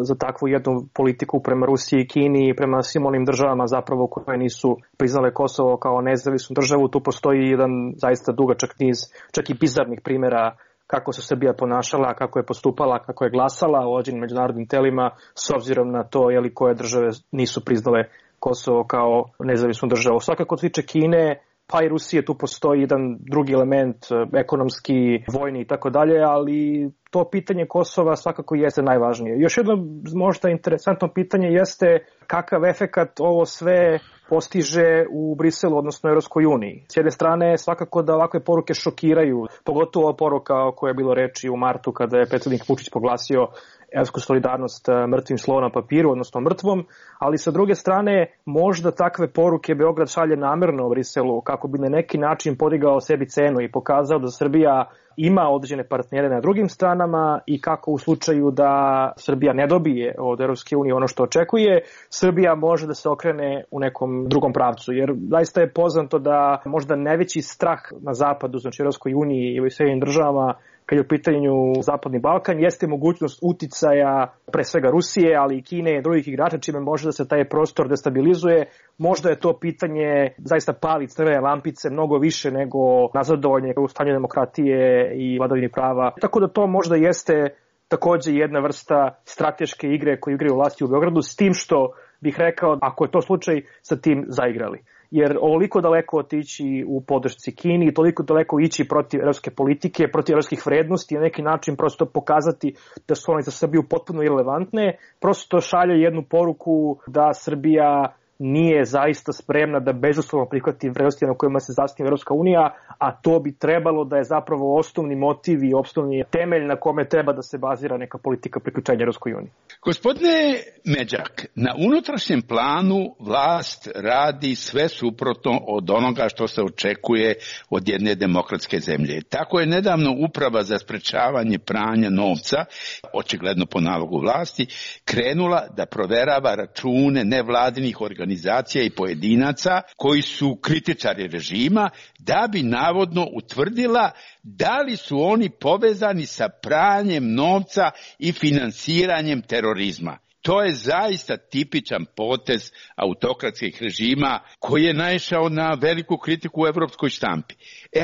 za takvu jednu politiku prema Rusiji i Kini i prema svim onim državama zapravo koje nisu priznale Kosovo kao nezavisnu državu. Tu postoji jedan zaista dugačak niz čak i bizarnih primjera kako se Srbija ponašala, kako je postupala, kako je glasala u određenim međunarodnim telima s obzirom na to koje države nisu priznale Kosovo kao nezavisnu državu. Svakako tiče Kine, pa i Rusije, tu postoji jedan drugi element, ekonomski, vojni i tako dalje, ali to pitanje Kosova svakako jeste najvažnije. Još jedno možda interesantno pitanje jeste kakav efekat ovo sve postiže u Briselu, odnosno Evropskoj uniji. S jedne strane, svakako da ovakve poruke šokiraju, pogotovo poruka o kojoj je bilo reči u martu kada je predsjednik Vučić proglasio evropsku solidarnost mrtvim slovom na papiru, odnosno mrtvom, ali sa druge strane možda takve poruke Beograd šalje namerno u Briselu kako bi na neki način podigao sebi cenu i pokazao da Srbija ima određene partnere na drugim stranama i kako u slučaju da Srbija ne dobije od Evropske unije ono što očekuje, Srbija može da se okrene u nekom drugom pravcu. Jer zaista je poznato da možda najveći strah na zapadu, znači Evropskoj uniji i u Sjedinjenim državama, kad je u pitanju Zapadni Balkan, jeste mogućnost uticaja pre svega Rusije, ali i Kine i drugih igrača, čime može da se taj prostor destabilizuje. Možda je to pitanje zaista pali crvene lampice mnogo više nego nazadovanje u stanju demokratije i vladavini prava. Tako da to možda jeste takođe jedna vrsta strateške igre koju igraju vlasti u Beogradu, s tim što bih rekao, ako je to slučaj, sa tim zaigrali. Jer ovoliko daleko otići u podršci Kini, toliko daleko ići protiv evropske politike, protiv evropskih vrednosti, na neki način prosto pokazati da su one za Srbiju potpuno irelevantne, prosto šalje jednu poruku da Srbija nije zaista spremna da bezuslovno prihvati vrednosti na kojima se zasniva Evropska unija, a to bi trebalo da je zapravo osnovni motiv i osnovni temelj na kome treba da se bazira neka politika priključenja Evropskoj uniji. Gospodine Međak, na unutrašnjem planu vlast radi sve suprotno od onoga što se očekuje od jedne demokratske zemlje. Tako je nedavno Uprava za sprečavanje pranja novca, očigledno po nalogu vlasti, krenula da proverava račune nevladinih organizacija i pojedinaca koji su kritičari režima, da bi navodno utvrdila da li su oni povezani sa pranjem novca i finansiranjem terorizma. To je zaista tipičan potez autokratskih režima koji je naišao na veliku kritiku u evropskoj štampi.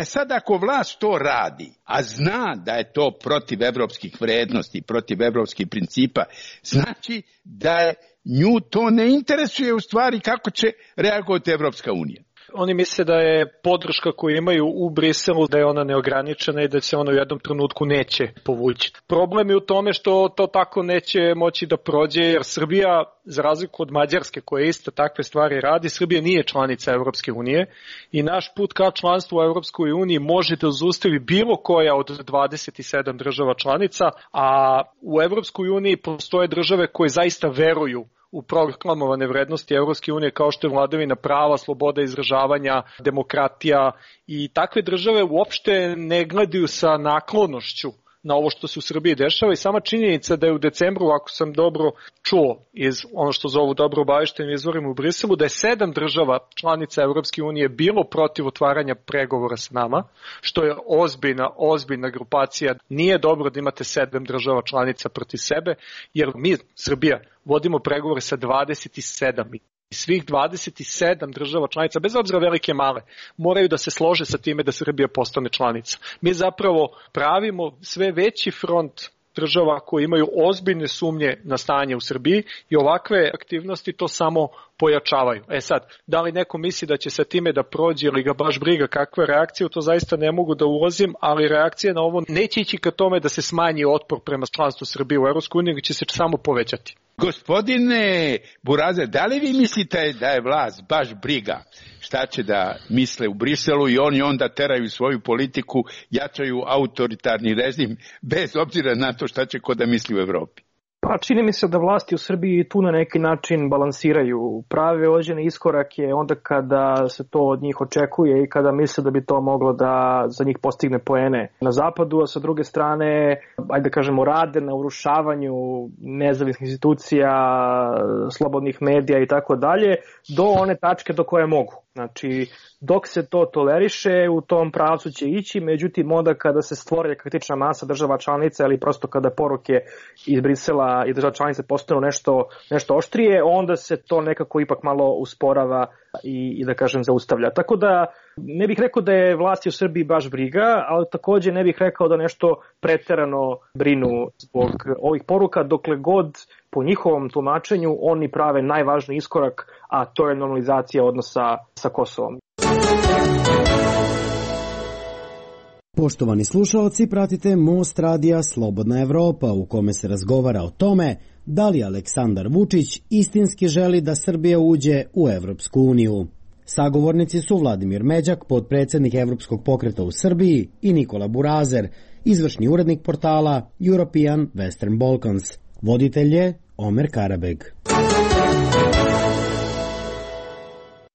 Sad ako vlast to radi, a zna da je to protiv evropskih vrednosti, protiv evropskih principa, znači da je nju to ne interesuje u stvari kako će reagovati Evropska unija. Oni misle da je podrška koju imaju u Briselu, da je ona neograničena i da se ona u jednom trenutku neće povući. Problem je u tome što to tako neće moći da prođe, jer Srbija, za razliku od Mađarske koja isto takve stvari radi, Srbija nije članica Evropske unije i naš put ka članstvu u Evropskoj uniji može da zaustavi bilo koja od 27 država članica, a u Evropskoj uniji postoje države koje zaista veruju u proklamovane vrednosti Evropske unije kao što je vladavina prava, sloboda izražavanja, demokratija, i takve države uopšte ne gledaju sa naklonošću na ovo što se u Srbiji dešava i sama činjenica da je u decembru, ako sam dobro čuo iz ono što zovu dobro obaveštenim izvorima u Briselu, da je 7 država članica Evropske unije bilo protiv otvaranja pregovora s nama, što je ozbiljna grupacija. Nije dobro da imate 7 država članica protiv sebe, jer mi, Srbija, vodimo pregovore sa 27 i svih 27 država članica, bez obzira velike male, moraju da se slože sa time da Srbija postane članica. Mi zapravo pravimo sve veći front država koji imaju ozbiljne sumnje na stanje u Srbiji i ovakve aktivnosti to samo pojačavaju. Sad, da li neko misli da će sa time da prođe ili ga baš briga kakva je reakcija, to zaista ne mogu da ulazim, ali reakcija na ovo neće ići ka tome da se smanji otpor prema članstvu Srbije u EU, nego će se samo povećati. Gospodine Burazer, da li vi mislite da je vlast baš briga šta će da misle u Briselu i oni onda teraju svoju politiku, jačaju autoritarni režim bez obzira na to šta će ko da misli u Evropi? Pa čini mi se da vlasti u Srbiji tu na neki način balansiraju, prave određene iskorake onda kada se to od njih očekuje i kada misle da bi to moglo da za njih postigne poene na zapadu, a sa druge strane, ajde da kažemo, rade na urušavanju nezavisnih institucija, slobodnih medija i tako dalje, do one tačke do koje mogu. Znači, dok se to toleriše, u tom pravcu će ići, međutim, onda kada se stvori kritična masa država članica ili prosto kada poruke iz Brisela i država članice postanu nešto oštrije, onda se to nekako ipak malo usporava i da kažem zaustavlja. Tako da ne bih rekao da je vlasti u Srbiji baš briga, ali takođe ne bih rekao da nešto preterano brinu zbog ovih poruka, dokle god po njihovom tumačenju oni prave najvažniji iskorak, a to je normalizacija odnosa sa Kosovom. Poštovani slušaoci, pratite Most radija Slobodna Evropa u kome se razgovara o tome da li Aleksandar Vučić istinski želi da Srbija uđe u Evropsku uniju. Sagovornici su Vladimir Međak, potpredsednik Evropskog pokreta u Srbiji, i Nikola Burazer, izvršni urednik portala European Western Balkans. Voditelj je Omer Karabeg.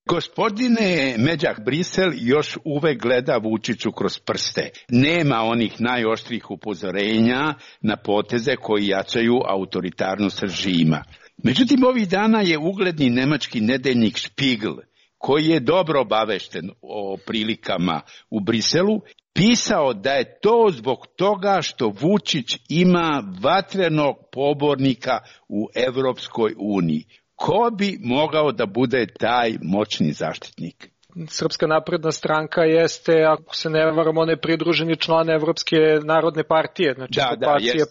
Gospodine Međak, Brisel još uvek gleda Vučiću kroz prste. Nema onih najoštrih upozorenja na poteze koji jačaju autoritarnost režima. Međutim, ovih dana je ugledni nemački nedeljnik Spiegel, koji je dobro obavešten o prilikama u Briselu, pisao da je to zbog toga što Vučić ima vatrenog pobornika u Evropskoj uniji. Ko bi mogao da bude taj moćni zaštitnik? Srpska napredna stranka jeste, ako se ne varam, on je pridruženi član Evropske narodne partije. Znači,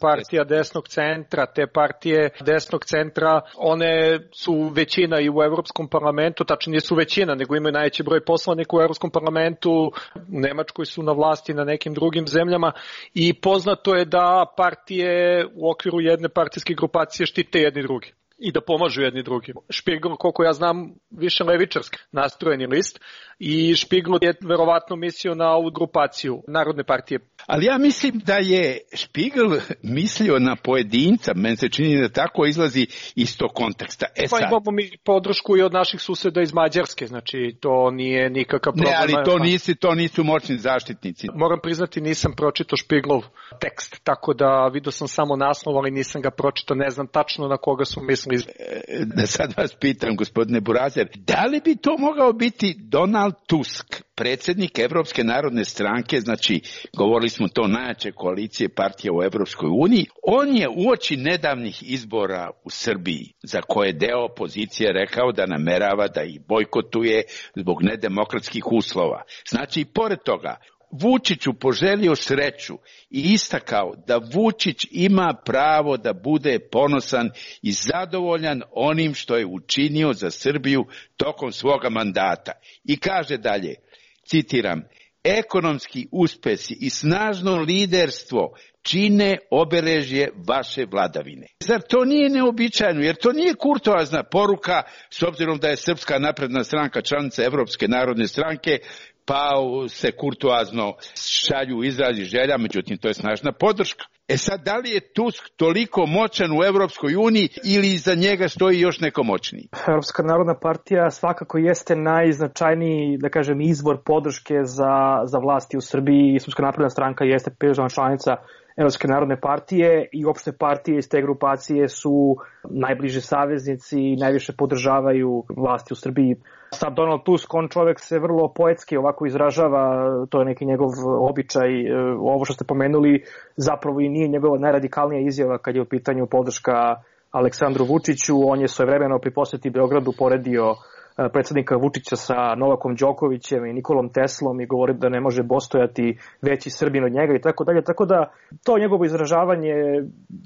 partija desnog centra. Te partije desnog centra, one su većina i u Evropskom parlamentu, tačno nisu većina, nego imaju najveći broj poslanika u Evropskom parlamentu, u Nemačkoj su na vlasti, na nekim drugim zemljama, i poznato je da partije u okviru jedne partijske grupacije štite jedni drugi i da pomažu jedni drugim. Spiegel, koliko ja znam, više levičarski nastrojeni list, i Spiegel je verovatno mislio na ovu grupaciju Narodne partije. Ali ja mislim da je Spiegel mislio na pojedinca, meni se čini da tako izlazi iz tog konteksta. Imamo mi podršku i od naših suseda iz Mađarske, znači to nije nikakav problem. Ne, ali to nisu moćni zaštitnici. Moram priznati, nisam pročitao Spiegelov tekst, tako da vidio sam samo naslov, ali nisam ga pročitao, ne znam tačno na koga su mislili. Da sad vas pitam, gospodine Burazer, da li bi to mogao biti Donald Tusk, predsjednik Evropske narodne stranke, znači govorili smo to najjače koalicije partija u Evropskoj uniji, on je uoči nedavnih izbora u Srbiji, za koje deo opozicije rekao da namerava da ih bojkotuje zbog nedemokratskih uslova. Znači, pored toga, Vučiću poželio sreću i istakao da Vučić ima pravo da bude ponosan i zadovoljan onim što je učinio za Srbiju tokom svoga mandata. I kaže dalje, citiram, ekonomski uspesi i snažno liderstvo čine obeležje vaše vladavine. Zar to nije neobičajno, jer to nije kurtoazna poruka, s obzirom da je Srpska napredna stranka članica Evropske narodne stranke, pa se kurtoazno šalju izrazi želja, međutim to je snažna podrška. Sad, da li je Tusk toliko moćan u Evropskoj uniji ili iza njega stoji još neko moćniji? Evropska narodna partija svakako jeste najznačajniji, da kažem, izvor podrške za vlasti u Srbiji, i Srpska napredna stranka jeste pridružena članica Evropske narodne partije, i uopšte partije iz te grupacije su najbliži saveznici i najviše podržavaju vlasti u Srbiji. Sad Donald Tusk, on čovek se vrlo poetski ovako izražava, to je neki njegov običaj. Ovo što ste pomenuli zapravo i nije njegova najradikalnija izjava kad je u pitanju podrška Aleksandru Vučiću. On je svojevremeno pri poseti Beogradu poredio predsjednika Vučića sa Novakom Đokovićem i Nikolom Teslom i govori da ne može postojati veći Srbin od njega i tako dalje. Tako da to njegovo izražavanje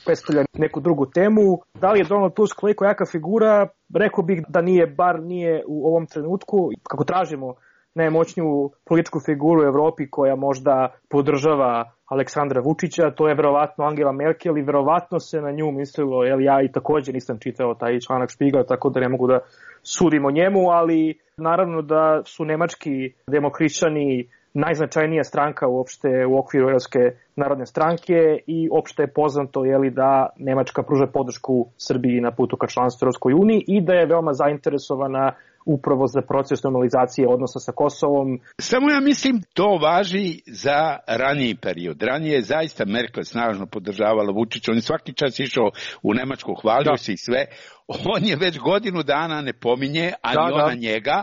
predstavlja neku drugu temu. Da li je Donald Tusk koliko jaka figura? Rekao bih da nije u ovom trenutku. Kako tražimo najmoćniju političku figuru u Evropi koja možda podržava Aleksandra Vučića, to je verovatno Angela Merkel, i verovatno se na nju mislilo, ja i također nisam čitao taj članak Spiegel, tako da ne mogu da sudim o njemu, ali naravno da su nemački demohrišćani najznačajnija stranka uopšte u okviru Evropske narodne stranke, i opšte je poznato da Nemačka pruža podršku Srbiji na putu ka članstvu Evropskoj uniji i da je veoma zainteresovana upravo za proces normalizacije odnosa sa Kosovom. Samo ja mislim to važi za raniji period. Ranije je zaista Merkel snažno podržavala Vučića, on je svaki čas išao u Nemačku, hvalio se i sve. On je već godinu dana ne pominje, ani ona njega,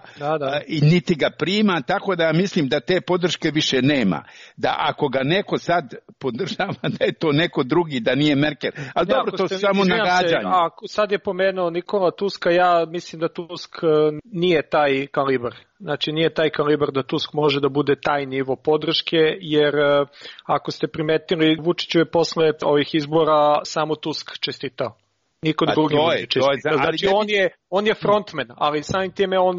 i niti ga prima, tako da mislim da te podrške više nema. Da ako ga neko sad podržava, da je to neko drugi, da nije Merkel. Ali dobro, to su samo nagađanje. Sad je pomenuo Nikola Tuska, ja mislim da Tusk nije taj kalibar. Znači nije taj kalibar da Tusk može da bude taj nivo podrške, jer ako ste primetili, Vučiću je posle ovih izbora samo Tusk čestitao. Niko drugi može čistiti. Znači on je frontman, ali samim time on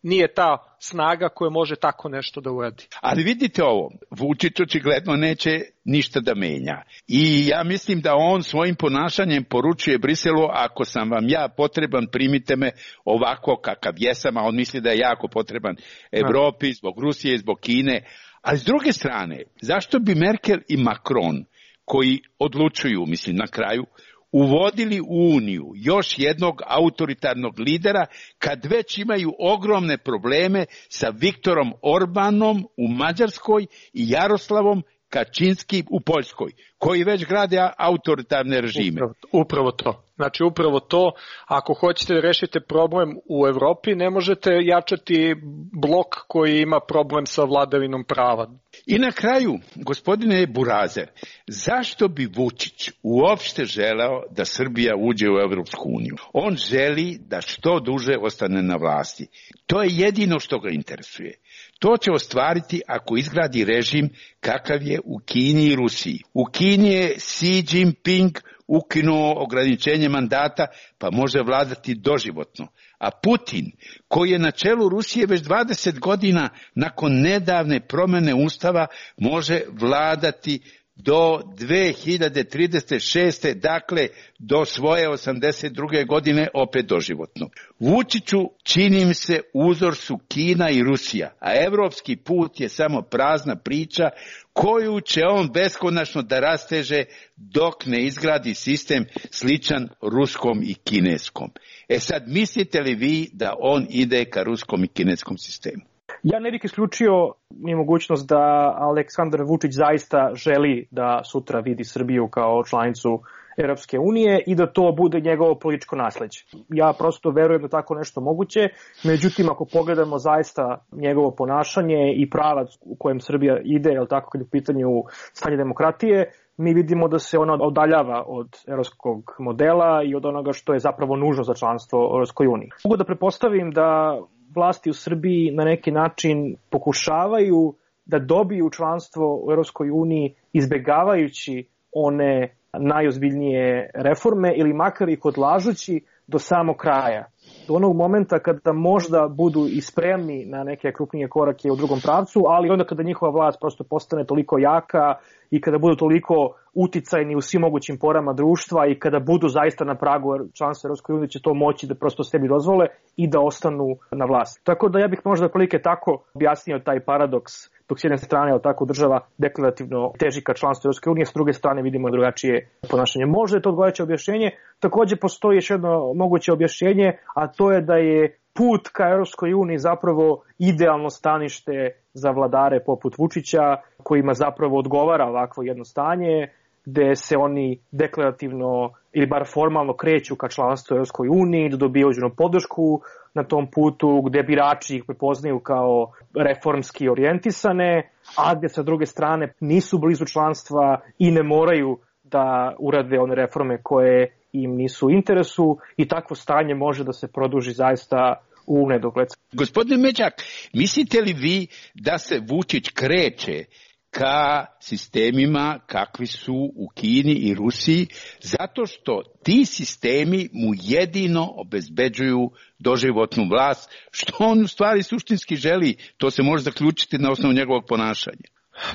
nije ta snaga koja može tako nešto da uradi. Ali vidite ovo, Vučić očigledno neće ništa da menja. I ja mislim da on svojim ponašanjem poručuje Briselu, ako sam vam ja potreban, primite me ovako kakav jesam, a on misli da je jako potreban Evropi, zbog Rusije, zbog Kine. A s druge strane, zašto bi Merkel i Macron, koji odlučuju, mislim na kraju, uvodili u Uniju još jednog autoritarnog lidera kad već imaju ogromne probleme sa Viktorom Orbanom u Mađarskoj i Jaroslavom Kačinskim u Poljskoj, koji već grade autoritarne režime. Upravo to. Znači upravo to, ako hoćete da rešite problem u Evropi, ne možete jačati blok koji ima problem sa vladavinom prava. I na kraju, gospodine Burazer, zašto bi Vučić uopšte želeo da Srbija uđe u Evropsku uniju? On želi da što duže ostane na vlasti. To je jedino što ga interesuje. To će ostvariti ako izgradi režim kakav je u Kini i Rusiji. U Kini je Xi Jinping ukinuo ograničenje mandata, pa može vladati doživotno. A Putin, koji je na čelu Rusije već 20 godina nakon nedavne promjene ustava, može vladati do 2036. dakle do svoje 82. godine opet doživotno. Vučiću, čini mi se, uzor su Kina i Rusija, a evropski put je samo prazna priča koju će on beskonačno da rasteže dok ne izgradi sistem sličan ruskom i kineskom. Sad, mislite li vi da on ide ka ruskom i kineskom sistemu? Ja ne bih isključio ni mogućnost da Aleksandar Vučić zaista želi da sutra vidi Srbiju kao članicu Europske unije i da to bude njegovo političko nasleđe. Ja prosto verujem da tako nešto moguće, međutim ako pogledamo zaista njegovo ponašanje i pravac u kojem Srbija ide, je li tako, kad je u pitanju stanje demokratije, mi vidimo da se ona odaljava od evropskog modela i od onoga što je zapravo nužno za članstvo u Europskoj uniji. Mogu da pretpostavim da vlasti u Srbiji na neki način pokušavaju da dobiju članstvo u Europskoj uniji izbegavajući one najozbiljnije reforme ili makar ih odlažući do samog kraja. Do onog momenta kada možda budu i spremni na neke krupnije korake u drugom pravcu, ali onda kada njihova vlast prosto postane toliko jaka i kada budu toliko uticajni u svim mogućim porama društva i kada budu zaista na pragu članstva Europskoj uniji, će to moći da prosto sebi dozvole i da ostanu na vlasti. Tako da ja bih možda prilike tako objasnio taj paradoks, dok s jedne strane je tako država deklarativno teži ka članstvu Europske unije, s druge strane vidimo drugačije ponašanje. Možda je to odgovarajuće objašnjenje. Takođe postoji još jedno moguće objašnjenje, a to je da je put ka Europskoj uniji zapravo idealno stanište za vladare poput Vučića, kojima zapravo odgovara ovakvo jedno stanje, gde se oni deklarativno ili bar formalno kreću ka članstvu u Europskoj uniji, da dobiju određenu podršku na tom putu, gde birači ih prepoznaju kao reformski orijentisane, a gde sa druge strane nisu blizu članstva i ne moraju da urade one reforme koje im nisu u interesu, i takvo stanje može da se produži zaista u nedogled. Gospodine Međak, mislite li vi da se Vučić kreće ka sistemima kakvi su u Kini i Rusiji, zato što ti sistemi mu jedino obezbeđuju doživotnu vlast, što on u stvari suštinski želi? To se može zaključiti na osnovu njegovog ponašanja.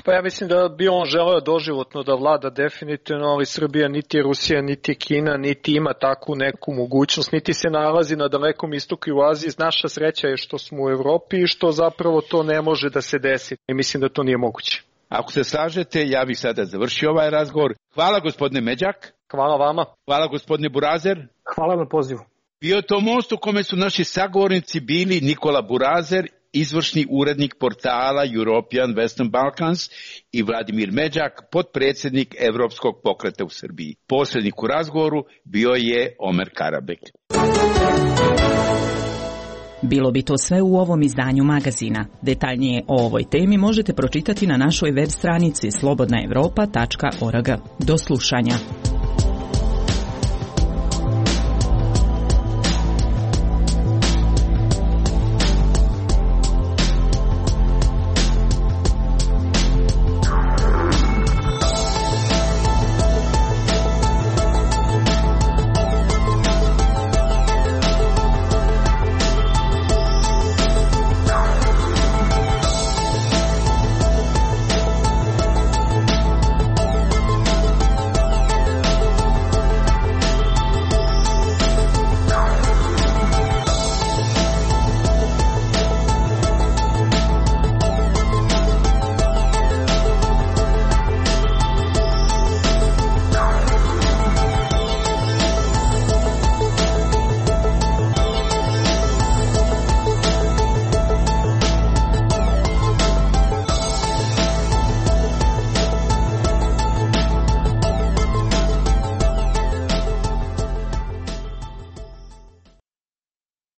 Pa ja mislim da bi on želeo doživotno da vlada definitivno, ali Srbija niti je Rusija, niti je Kina, niti ima takvu neku mogućnost, niti se nalazi na Dalekom istoku i u Aziji. Naša sreća je što smo u Evropi i što zapravo to ne može da se desi. I mislim da to nije moguće. Ako se slažete, ja bih sada završio ovaj razgovor. Hvala gospodine Međak. Hvala vama. Hvala gospodine Burazer. Hvala na pozivu. Bio je to most u kome su naši sagovornici bili Nikola Burazer, izvršni urednik portala European Western Balkans, i Vladimir Međak, potpredsjednik Evropskog pokreta u Srbiji. Posrednik u razgovoru bio je Omer Karabek. Bilo bi to sve u ovom izdanju magazina. Detaljnije o ovoj temi možete pročitati na našoj web stranici slobodnaevropa.org. Do slušanja.